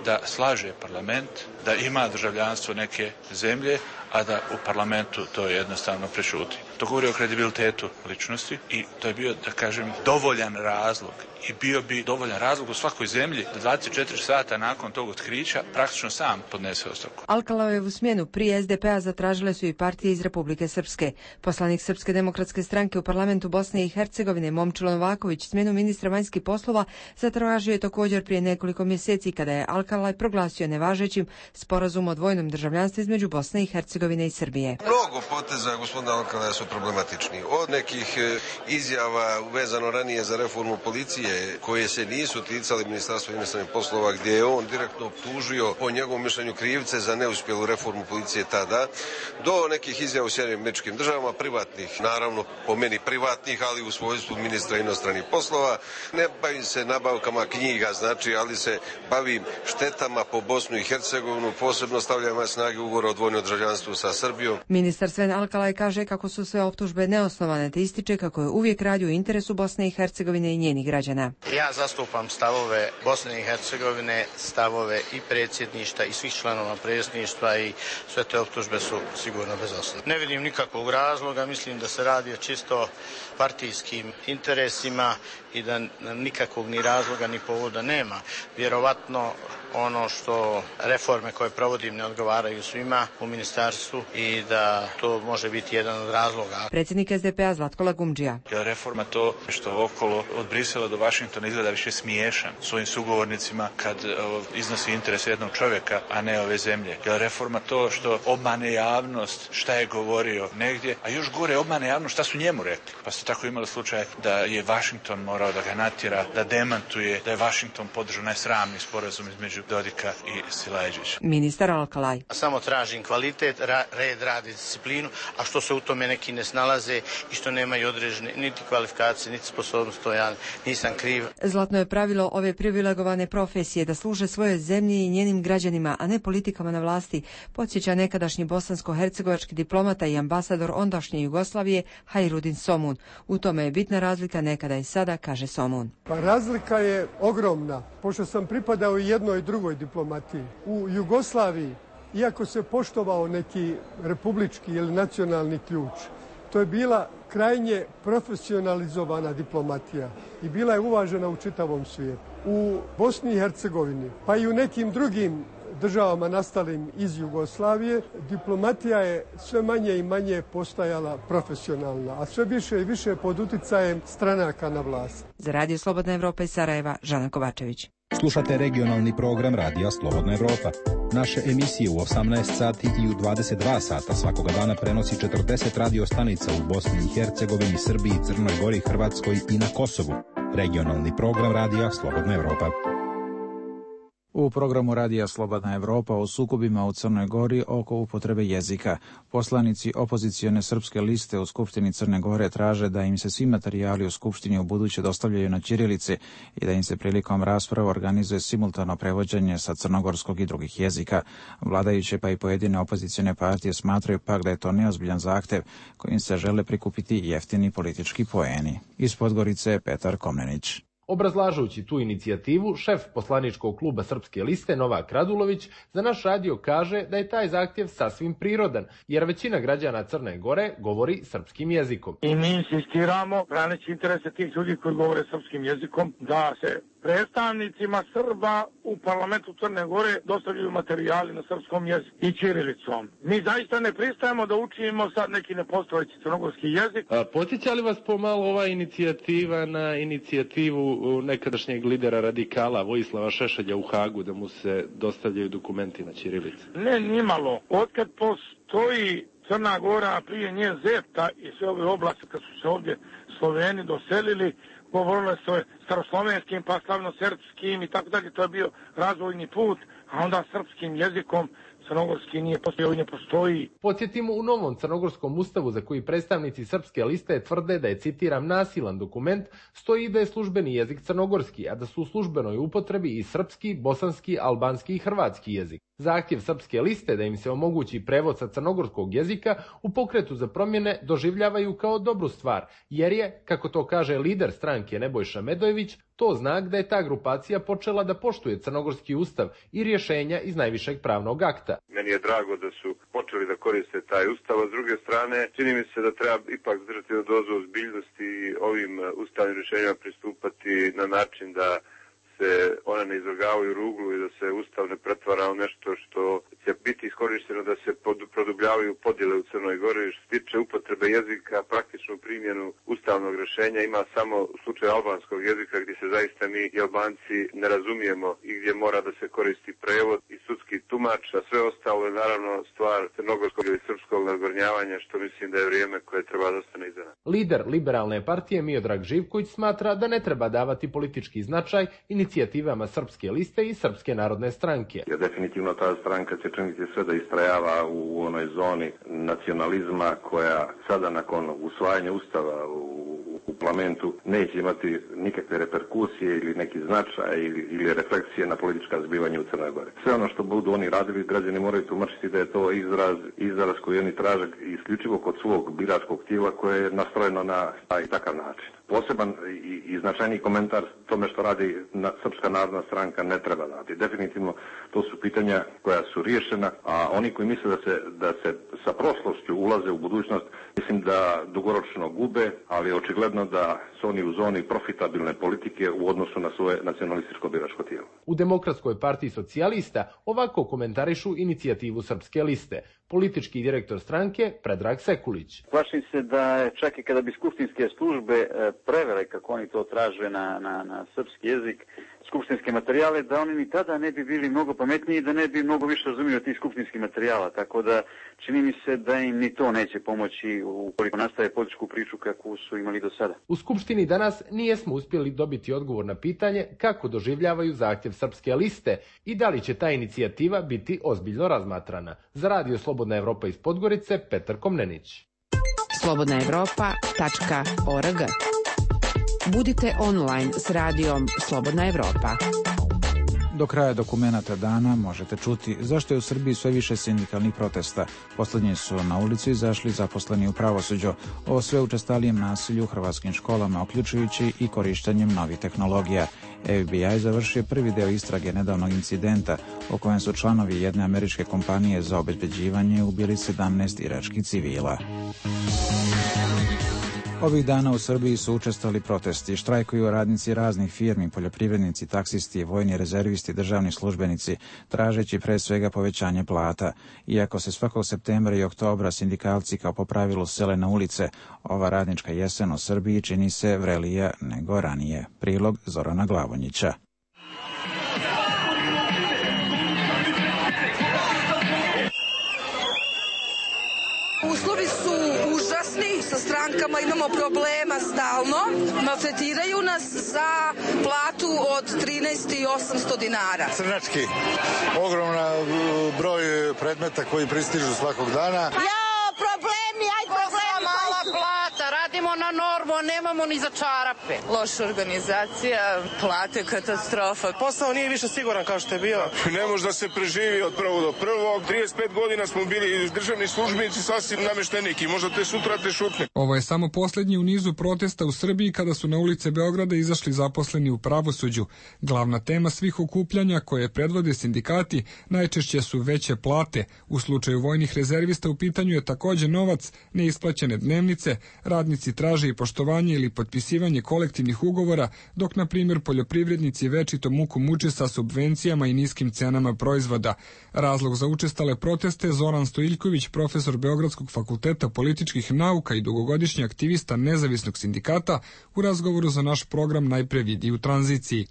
da slaže parlament, da ima državljanstvo neke zemlje, a da u parlamentu to jednostavno prešuti. To govori o kredibilitetu ličnosti i to je bio, da kažem, dovoljan razlog i bio bi dovoljan razlog u svakoj zemlji da dvadeset četiri sata nakon tog otkrića praktično sam podnese ostavku. Alkalajevu smjenu prije S D P-a zatražile su i partije iz Republike Srpske. Poslanik Srpske demokratske stranke u parlamentu Bosne i Hercegovine Momčilo Novaković smjenu ministra vanjskih poslova zatražio je također prije nekoliko mjeseci, kada je Alkalaj proglasio nevažećim sporazum o dvojnom državljanstvu između Bosne i Hercegovine Hercegovine i Srbije. Mnogo poteza gospodina Alkalaja su problematični. Od nekih izjava vezano ranije za reformu policije koje se nisu ticali Ministarstva inostranih poslova, gdje je on direktno optužio po njegovom mišljenju krivce za neuspjelu reformu policije tada, do nekih izjava u Sjedinjenim Američkim Državama, privatnih, naravno po meni privatnih, ali u svojstvu ministra inostranih poslova. Ne bavim se nabavkama knjiga, znači, ali se bavim štetama po Bosnu i Hercegovinu, posebno stavljam na snage ugovora o dvojnom državljanstvu sa Srbijom. Ministar Sven Alkalaj kaže kako su sve optužbe neosnovane, te ističe kako je uvijek radio u interesu Bosne i Hercegovine i njenih građana. Ja zastupam stavove Bosne i Hercegovine, stavove i predsjedništva i svih članova predsjedništva i sve te optužbe su sigurno bez osnove. Ne vidim nikakvog razloga, mislim da se radi o čisto partijskim interesima i da nikakvog ni razloga ni povoda nema. Vjerovatno ono što reforme koje provodim ne odgovaraju svima u ministarstvu i da to može biti jedan od razloga. Predsjednik S D P-a Zlatko Lagumdžija. Reforma to što okolo od Brisela do Vašingtona izgleda više smiješan svojim sugovornicima kad o, iznosi interes jednog čovjeka, a ne ove zemlje. Reforma to što obmane javnost šta je govorio negdje, a još gore obmane javnost šta su njemu rekli. Pa ste tako imali slučaj da je Vašington morao da ga natjera, da demantuje, da je Vašington podržao najsramniji sporazum između Dodika i Silajdžića. Ministar Alkalaj. Samo tražim kvalitet, ra, red, rad i disciplinu, a što se u tome neki ne snalaze i što nemaju određene niti kvalifikacije, niti sposobnost, to ja nisam kriv. Zlatno je pravilo ove privilegovane profesije da služe svojoj zemlji i njenim građanima, a ne politikama na vlasti, podsjeća nekadašnji bosansko-hercegovački diplomata i ambasador ondašnje Jugoslavije Hajrudin Somun. U tome je bitna razlika nekada i sada, kaže Somun. Pa razlika je ogromna, pošto sam pripadao i jednoj i drugoj diplomatiji. U Jugoslaviji, iako se poštovao neki republički ili nacionalni ključ, to je bila krajnje profesionalizovana diplomatija i bila je uvažena u čitavom svijetu. U Bosni i Hercegovini, pa i u nekim drugim državama nastalim iz Jugoslavije, diplomatija je sve manje i manje postajala profesionalna, a sve više i više pod uticajem stranaka na vlasti. Za Radio Slobodna Evropa iz Sarajeva, Žana Kovačević. Slušate regionalni program Radija Slobodna Evropa. Naše emisije u osamnaest sati i u dvadeset dva sata svakoga dana prenosi četrdeset radio stanica u Bosni i Hercegovini, Srbiji, Crnoj Gori, Hrvatskoj i na Kosovu. Regionalni program Radija Slobodna Evropa. U programu Radija Slobodna Evropa o sukobima u Crnoj Gori oko upotrebe jezika. Poslanici opozicione srpske liste u Skupštini Crne Gore traže da im se svi materijali u Skupštini u buduće dostavljaju na ćirilici i da im se prilikom rasprave organizuje simultano prevođenje sa crnogorskog i drugih jezika. Vladajuće pa i pojedine opozicione partije smatraju pak da je to neozbiljan zahtev kojim se žele prikupiti jeftini politički poeni. Iz Podgorice Petar Komnenić. Obrazlažući tu inicijativu, šef poslaničkog kluba Srpske liste Novak Radulović za naš radio kaže da je taj zahtjev sasvim prirodan, jer većina građana Crne Gore govori srpskim jezikom. I mi insistiramo, braneći interese tih ljudi koji govore srpskim jezikom, da se predstavnicima Srba u parlamentu Crne Gore dostavljaju materijali na srpskom jeziku i ćirilicom. Mi zaista ne pristajemo da učimo sad neki nepostojeći crnogorski jezik. A podsjeća li vas pomalo ova inicijativa na inicijativu nekadašnjeg lidera radikala Vojislava Šešelja u Hagu da mu se dostavljaju dokumenti na ćirilici? Ne, nimalo. Otkad postoji Crna Gora, prije nje Zeta i sve ove oblasti kad su se ovdje Sloveni doselili, govorile se o staroslovenskim, pa slavnosrpskim i tako dalje, to je bio razvojni put, a onda srpskim jezikom crnogorski nije postojao i ne postoji. Podsjetimo, u novom crnogorskom ustavu za koji predstavnici Srpske liste tvrde da je, citiram, nasilan dokument, stoji da je službeni jezik crnogorski, a da su u službenoj upotrebi i srpski, bosanski, albanski i hrvatski jezik. Zahtjev Srpske liste da im se omogući prevod sa crnogorskog jezika u pokretu za promjene doživljavaju kao dobru stvar, jer je, kako to kaže lider stranke Nebojša Medojević, to znak da je ta grupacija počela da poštuje crnogorski ustav i rješenja iz najvišeg pravnog akta. Meni je drago da su počeli da koriste taj ustav, a s druge strane čini mi se da treba ipak držati na dozu ozbiljnosti i ovim ustavnim rješenjima pristupati na način da se one ne izvrgavaju ruglu i da se ustav ne pretvara u nešto što će biti biti iskorišteno da se pod, produbljavaju podjele u Crnoj Gori. Što se tiče upotrebe jezika, praktičnu primjenu ustavnog rješenja ima samo u slučaju albanskog jezika gdje se zaista mi i Albanci ne razumijemo i gdje mora da se koristi prevod i sudski tumač, a sve ostalo je naravno stvar crnogorskog ili srpskog nadgornjavanja, što mislim da je vrijeme koje treba da ostane iza nas. Lider liberalne partije Miodrag Živković smatra da ne treba davati politički značaj inicijativama Srpske liste i Srpske narodne stranke. Ja, definitivno ta stranka će činiti sve da istrajava u onoj zoni nacionalizma koja sada nakon usvajanja ustava u u parlamentu neće imati nikakve reperkusije ili neki značaj ili, ili refleksije na politička zbivanja u Crnoj Gori. Sve ono što budu oni radili, građani moraju tumačiti da je to izraz, izraz koji oni traže isključivo kod svog biračkog tijela koje je nastrojeno na taj takav način. Poseban i, i značajni komentar tome što radi na, Srpska narodna stranka ne treba dati. Definitivno to su pitanja koja su riješena, a oni koji misle da se, da se sa prošlošću ulaze u budućnost, mislim da dugoročno gube, ali očigledno da su oni u zoni profitabilne politike u odnosu na svoje nacionalističko biračko tijelo. U Demokratskoj partiji socijalista ovako komentarišu inicijativu Srpske liste. Politički direktor stranke Predrag Sekulić. Plašim se da čak i kada bi skupštinske službe prevele, kako oni to traže na, na, na srpski jezik, skupštinske materijale, da oni ni tada ne bi bili mnogo pametniji i da ne bi mnogo više razumili od tih skupštinskih materijala. Tako da čini mi se da im ni to neće pomoći ukoliko nastave političku priču kakvu su imali do sada. U Skupštini danas nijesmo uspjeli dobiti odgovor na pitanje kako doživljavaju zahtjev Srpske liste i da li će ta inicijativa biti ozbiljno razmatrana. Za Radio Slobodna Evropa iz Podgorice, Petar Komnenić. slobodna evropa tačka org. Budite online s radijom Slobodna Evropa. Do kraja dokumenata dana možete čuti zašto je u Srbiji sve više sindikalnih protesta. Poslednji su na ulicu izašli zaposleni u pravosuđu o sve učestalijem nasilju u hrvatskim školama, uključujući i korištenjem novih tehnologija. F B I završio prvi deo istrage nedavnog incidenta o kojem su članovi jedne američke kompanije za obezbeđivanje ubili sedamnaest iračkih civila. Ovih dana u Srbiji su učestali protesti, štrajkuju radnici raznih firmi, poljoprivrednici, taksisti, vojni rezervisti, državni službenici, tražeći pre svega povećanje plata. Iako se svakog septembra i oktobra sindikalci kao po pravilu sele na ulice, ova radnička jesen u Srbiji čini se vrelija nego ranije. Prilog Zorana Glavonjića. Uslovi su užasni, sa strankama imamo problema stalno, maltretiraju nas za platu od trinaest hiljada osamsto dinara. Crnački, ogromna broj predmeta koji pristižu svakog dana. Ja, problemi, aj problemi. Mala plata, radimo na normu, nemamo ni za čarape. Loša organizacija, plate, katastrofa. Posao nije više siguran kao što je bio. Ne može da se preživi od prvog do prvog. trideset pet godina smo bili državni službenici, sasvim namešteniki. Možda te sutra te šutne. Ovo je samo posljednji u nizu protesta u Srbiji kada su na ulice Beograda izašli zaposleni u pravosuđu. Glavna tema svih okupljanja koje predvode sindikati najčešće su veće plate. U slučaju vojnih rezervista u pitanju je također novac, neisplaćene dnevnice, radnici traže i poštovanje ili potpisivanje kolektivnih ugovora, dok na primjer poljoprivrednici večito muku muče sa subvencijama i niskim cenama proizvoda. Razlog za učestale proteste Zoran Stojiljković, profesor Beogradskog fakulteta političkih nauka i dugogodišnji aktivista nezavisnog sindikata, u razgovoru za naš program Najpre vidi u tranziciji.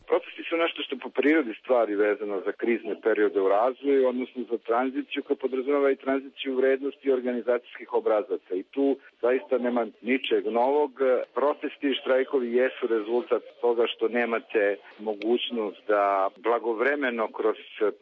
Po prirodi stvari vezano za krizne periode u razvoju, odnosno za tranziciju koja podrazumeva i tranziciju vrednosti organizacijskih obrazaca. I tu zaista nema ničeg novog. Protesti i štrajkovi jesu rezultat toga što nemate mogućnost da blagovremeno kroz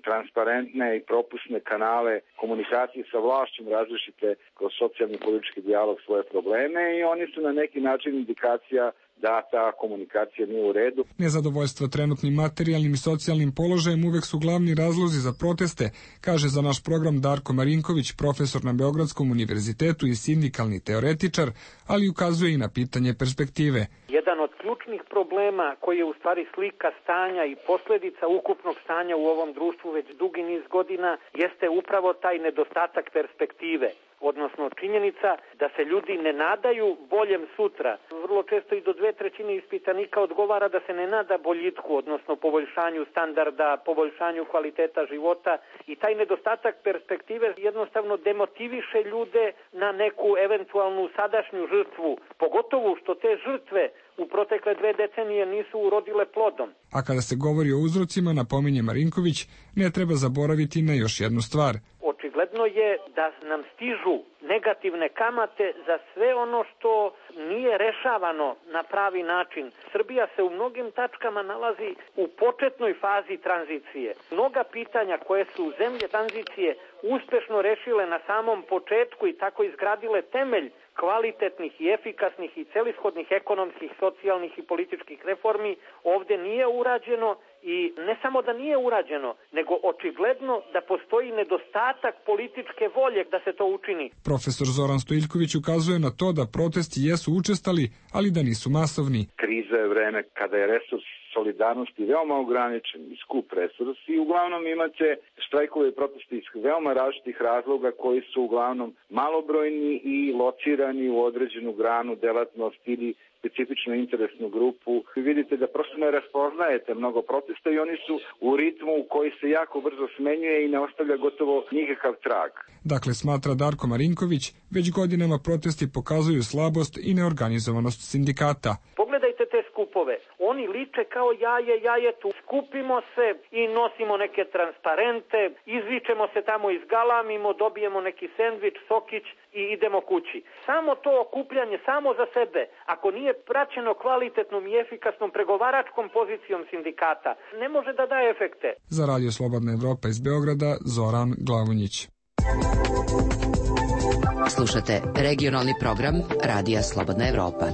transparentne i propusne kanale komunikacije sa vlašćom različite kroz socijalni i politički dijalog svoje probleme i oni su na neki način indikacija da ta komunikacija nije u redu. Nezadovoljstvo trenutnim materijalnim i socijalnim položajem uvek su glavni razlozi za proteste, kaže za naš program Darko Marinković, profesor na Beogradskom univerzitetu i sindikalni teoretičar, ali ukazuje i na pitanje perspektive. Jedan od ključnih problema koji je u stvari slika stanja i posljedica ukupnog stanja u ovom društvu već dugi niz godina jeste upravo taj nedostatak perspektive. odnosno činjenica da se ljudi ne nadaju boljem sutra. Vrlo često i do dve trećine ispitanika odgovara da se ne nada boljitku, odnosno poboljšanju standarda, poboljšanju kvaliteta života i taj nedostatak perspektive jednostavno demotiviše ljude na neku eventualnu sadašnju žrtvu, pogotovo što te žrtve u protekle dve decenije nisu urodile plodom. A kada se govori o uzrocima, napominje Marinković, ne treba zaboraviti na još jednu stvar. Očigledno je da nam stižu negativne kamate za sve ono što nije rešavano na pravi način. Srbija se u mnogim tačkama nalazi u početnoj fazi tranzicije. Mnoga pitanja koje su zemlje tranzicije uspešno rešile na samom početku i tako izgradile temelj kvalitetnih i efikasnih i celishodnih ekonomskih, socijalnih i političkih reformi ovdje nije urađeno i ne samo da nije urađeno, nego očigledno da postoji nedostatak političke volje da se to učini. Profesor Zoran Stojiljković ukazuje na to da protesti jesu učestali, ali da nisu masovni. Kriza je vreme kada je resurs solidarnosti veoma ograničen i skup resurs i uglavnom imate štrajkove i proteste iz veoma različitih razloga koji su uglavnom malobrojni i locirani u određenu granu, delatnost ili specifičnu interesnu grupu. Vi vidite da prosto ne raspoznajete mnogo protesta i oni su u ritmu koji se jako brzo smenjuje i ne ostavlja gotovo nikakav trag. Dakle, smatra Darko Marinković, već godinama protesti pokazuju slabost i neorganizovanost sindikata. Pogledajte te skupove. Oni liče kao jaje jajetu. Skupimo se i nosimo neke transparente, izvičemo se tamo, izgalamimo, dobijemo neki sendvič, sokić i idemo kući. Samo to okupljanje, samo za sebe, ako nije praćeno kvalitetnom i efikasnom pregovaračkom pozicijom sindikata, ne može da daje efekte. Za Radio Slobodna Evropa iz Beograda, Zoran Glavunjić. Slušate regionalni program Radija Slobodna Evropa.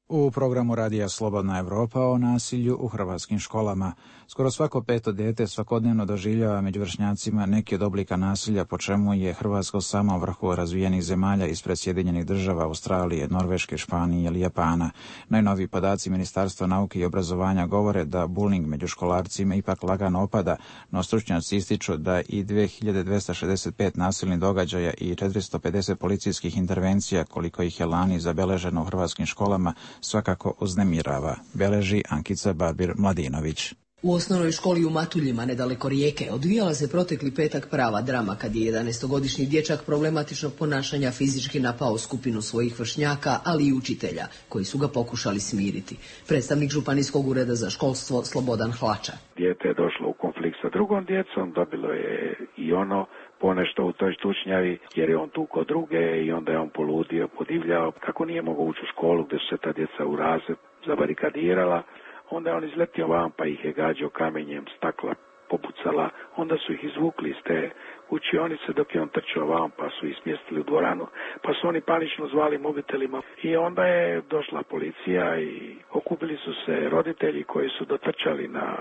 U programu Radija Slobodna Evropa o nasilju u hrvatskim školama. Skoro svako peto dete svakodnevno doživljava među vršnjacima neki od oblika nasilja, po čemu je Hrvatska sama u vrhu razvijenih zemalja ispred Sjedinjenih država, Australije, Norveške, Španije ili Japana. Najnoviji podaci Ministarstva nauke i obrazovanja govore da bullying među školarcima ipak lagano opada, no stručnjaci ističu da i dve hiljade dvesta šezdeset pet nasilnih događaja i četiristo pedeset policijskih intervencija, koliko ih je lani zabeleženo u hrvatskim školama, svakako uznemirava, beleži Ankica Barbir-Mladinović. U osnovnoj školi u Matuljima, nedaleko Rijeke, odvijala se protekli petak prava drama kad je jedanaestogodišnji dječak problematičnog ponašanja fizički napao skupinu svojih vršnjaka, ali i učitelja, koji su ga pokušali smiriti. Predstavnik Županijskog ureda za školstvo Slobodan Hlača. Dijete je došlo u konflikt sa drugom djecom, dobilo je i ono ponešto u toj štučnjavi, jer je on tukao druge i onda je on poludio, podivljao. Kako nije mogao ući u školu gdje su se ta djeca u razred zabarikadirala, onda je on izletio van pa ih je gađao kamenjem, stakla popucala, onda su ih izvukli iz te učionice dok je on trčao van pa su ih smjestili u dvoranu, pa su oni panično zvali mobitelima i onda je došla policija i okupili su se roditelji koji su dotrčali na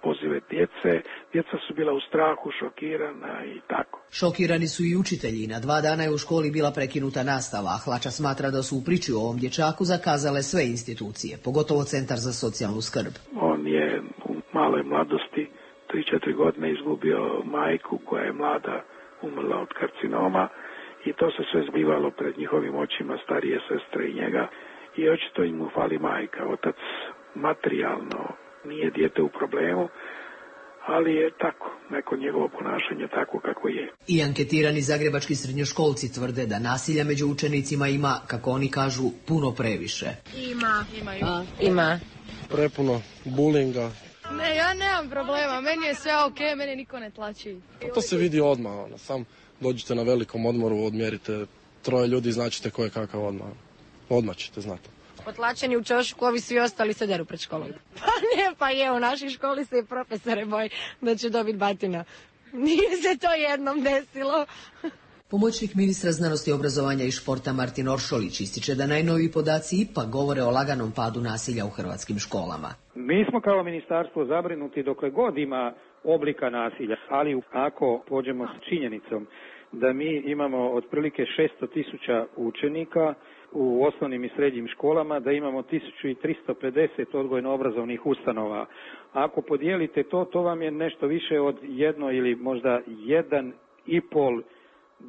pozive djece, djeca su bila u strahu, šokirana i tako. Šokirani su i učitelji, na dva dana je u školi bila prekinuta nastava, a Hlača smatra da su u priči o ovom dječaku zakazale sve institucije, pogotovo Centar za socijalnu skrb. On je u maloj mladosti tri četiri godine izgubio majku koja je mlada umrla od karcinoma i to se sve zbivalo pred njihovim očima, starije sestre i njega i očito im mu fali majka. Otac materijalno nije dijete u problemu, ali je tako, neko njegovo ponašanje tako kako je. I anketirani zagrebački srednjoškolci tvrde da nasilja među učenicima ima, kako oni kažu, puno previše. Ima. Imaju. A, ima. Prepuno bulinga. Ne, ja nemam problema, meni je sve ok, mene niko ne tlači. A to se vidi odmah, ono, sam dođete na velikom odmoru, odmjerite troje ljudi i značite ko je kakav odmah. Odmah ćete znati. Potlačeni u čošku, ovi svi ostali se deru pred školom. Pa ne, pa je, u našoj školi se i profesore boji da će dobiti batina. Nije se to jednom desilo. Pomoćnik ministra znanosti, obrazovanja i športa Martin Oršolić ističe da najnoviji podaci ipak govore o laganom padu nasilja u hrvatskim školama. Mi smo kao ministarstvo zabrinuti dokle god ima oblika nasilja, ali ako pođemo s činjenicom da mi imamo otprilike šesto tisuća učenika u osnovnim i srednjim školama, da imamo tisuću tristo pedeset odgojno-obrazovnih ustanova. Ako podijelite to, to vam je nešto više od jedno ili možda jedan i pol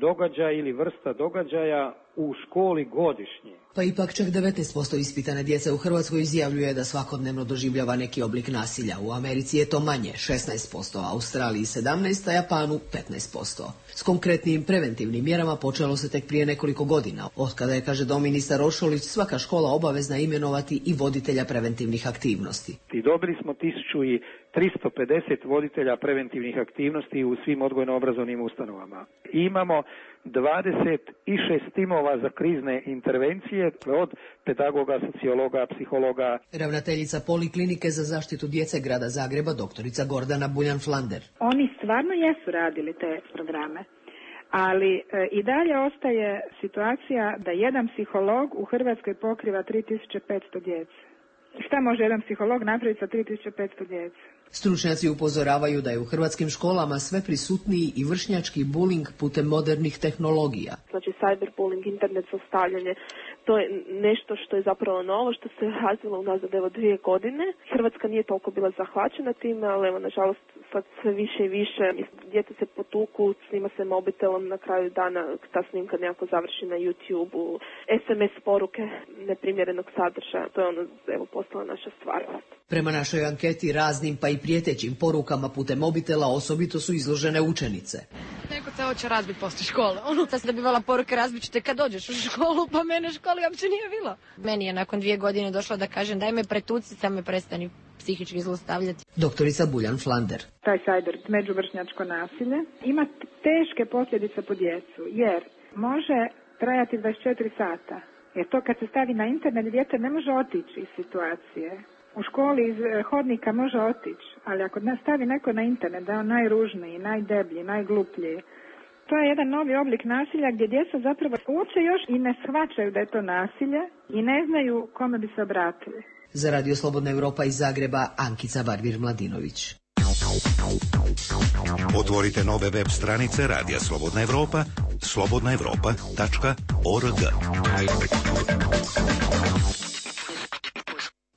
događaja ili vrsta događaja u školi godišnje. Pa ipak čak devetnaest posto ispitane djece u Hrvatskoj izjavljuje da svakodnevno doživljava neki oblik nasilja. U Americi je to manje, šesnaest posto, a Australiji sedamnaest posto, a Japanu petnaest posto. S konkretnim preventivnim mjerama počelo se tek prije nekoliko godina. Od kada je, kaže doministar Rošolić, svaka škola obavezna imenovati i voditelja preventivnih aktivnosti. I dobili smo tisuću tristo pedeset voditelja preventivnih aktivnosti u svim odgojno-obrazovnim ustanovama. I imamo dvadeset šest timova za krizne intervencije od pedagoga, sociologa, psihologa. Ravnateljica Poliklinike za zaštitu djece grada Zagreba, doktorica Gordana Buljan-Flander. Oni stvarno jesu radili te programe, ali e, i dalje ostaje situacija da jedan psiholog u Hrvatskoj pokriva tri tisuće petsto djece. Šta može jedan psiholog napraviti sa tri tisuće petsto djece? Stručnjaci upozoravaju da je u hrvatskim školama sve prisutniji i vršnjački bullying putem modernih tehnologija. Znači cyberbullying, internet zlostavljanje, to je nešto što je zapravo novo, što se razvilo unazad evo dvije godine. Hrvatska nije toliko bila zahvaćena time, ali evo nažalost sad sve više i više. Djeca se potuku, snima se mobitelom, na kraju dana ta snimka nekako završi na YouTube-u, es em es poruke neprimjerenog sadržaja, to je ono evo postala naša stvarnost. Prema našoj anketi raznim pa i prijetećim porukama putem mobitela osobito su izložene učenice. Neko te hoće razbiti poslije škole. Ono, sad se dobivala poruke razbit ću te kad dođeš u školu, pa mene u školi uopće nije bilo. Meni je nakon dvije godine došlo da kažem daj me pretuci, sad me prestani psihički zlostavljati. Doktorica Buljan-Flander. Taj cyber međuvršnjačko nasilje ima teške posljedice po djecu, jer može trajati dvadeset četiri sata. Jer to kad se stavi na internet, dijete ne može otići iz situacije. U školi iz hodnika može otići, ali ako nas stavi neko na internet da je on najružniji, najdeblji, najgluplji, to je jedan novi oblik nasilja gdje djeca zapravo uopće još i ne shvaćaju da je to nasilje i ne znaju kome bi se obratili. Za Radio Slobodna Europa iz Zagreba, Ankica Barbir-Mladinović. Otvorite nove web stranice Radija Slobodna Europa, slobodna europa tačka org.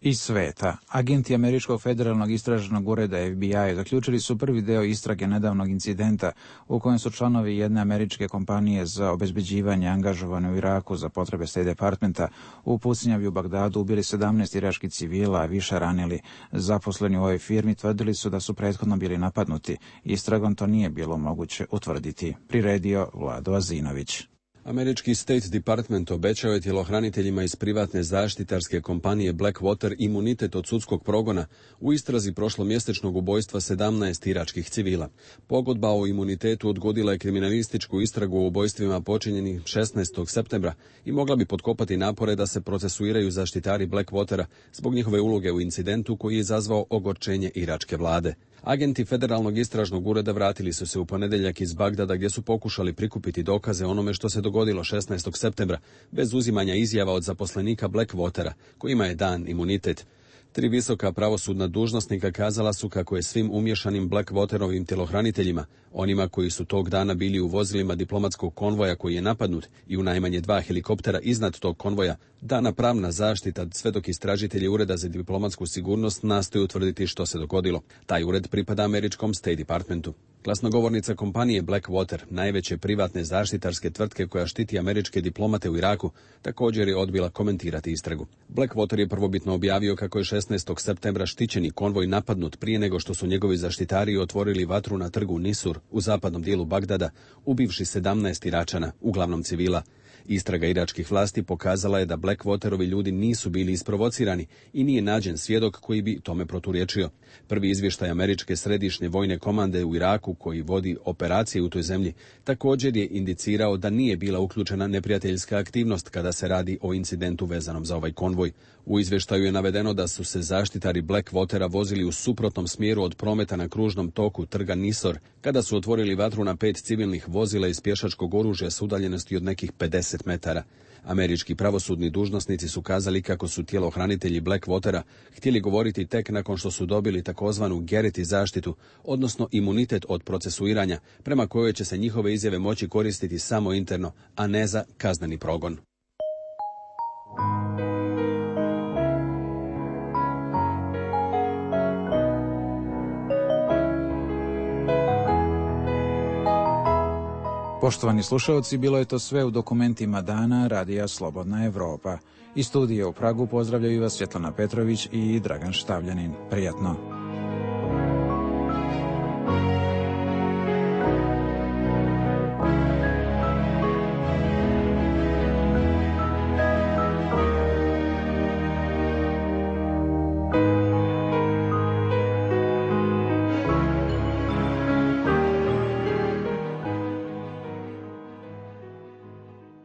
Iz sveta. Agenti Američkog federalnog istražnog ureda F B I zaključili su prvi deo istrage nedavnog incidenta u kojem su članovi jedne američke kompanije za obezbeđivanje angažovane u Iraku za potrebe State Departmenta u pucnjavi u Bagdadu ubili sedamnaest iračkih civila, a više ranili. Zaposleni u ovoj firmi tvrdili su da su prethodno bili napadnuti. Istragom to nije bilo moguće utvrditi. Priredio Vlado Azinović. Američki State Department obećao je tjelohraniteljima iz privatne zaštitarske kompanije Blackwater imunitet od sudskog progona u istrazi prošlomjesečnog ubojstva sedamnaest iračkih civila. Pogodba o imunitetu odgodila je kriminalističku istragu o ubojstvima počinjenih šesnaestog septembra i mogla bi potkopati napore da se procesuiraju zaštitari Blackwatera zbog njihove uloge u incidentu koji je izazvao ogorčenje iračke vlade. Agenti Federalnog istražnog ureda vratili su se u ponedjeljak iz Bagdada gdje su pokušali prikupiti dokaze onome što se dogodilo šesnaestog septembra bez uzimanja izjava od zaposlenika Blackwatera kojima je dan imunitet. Tri visoka pravosudna dužnosnika kazala su kako je svim umješanim Blackwaterovim tjelohraniteljima, onima koji su tog dana bili u vozilima diplomatskog konvoja koji je napadnut i u najmanje dva helikoptera iznad tog konvoja, dana pravna zaštita sve dok istražitelji Ureda za diplomatsku sigurnost nastoje utvrditi što se dogodilo. Taj ured pripada američkom State Departmentu. Glasnogovornica kompanije Blackwater, najveće privatne zaštitarske tvrtke koja štiti američke diplomate u Iraku, također je odbila komentirati istragu. Blackwater je prvobitno objavio kako je šesnaestog septembra štićeni konvoj napadnut prije nego što su njegovi zaštitari otvorili vatru na trgu Nisur u zapadnom dijelu Bagdada, ubivši sedamnaest Iračana, uglavnom civila. Istraga iračkih vlasti pokazala je da Blackwaterovi ljudi nisu bili isprovocirani i nije nađen svjedok koji bi tome proturječio. Prvi izvještaj američke središnje vojne komande u Iraku, koji vodi operacije u toj zemlji, također je indicirao da nije bila uključena neprijateljska aktivnost kada se radi o incidentu vezanom za ovaj konvoj. U izvještaju je navedeno da su se zaštitari Blackwatera vozili u suprotnom smjeru od prometa na kružnom toku trga Nisor, kada su otvorili vatru na pet civilnih vozila iz pješačkog oružja s udaljenosti od nekih pedeset metara. Američki pravosudni dužnosnici su kazali kako su tjelohranitelji Blackwatera htjeli govoriti tek nakon što su dobili takozvanu Garrity zaštitu, odnosno imunitet od procesuiranja, prema kojoj će se njihove izjave moći koristiti samo interno, a ne za kazneni progon. Poštovani slušalci, bilo je to sve u dokumentima dana Radija Slobodna Evropa. Iz studija u Pragu pozdravljaju vas Svjetlana Petrović i Dragan Štavljanin. Prijatno.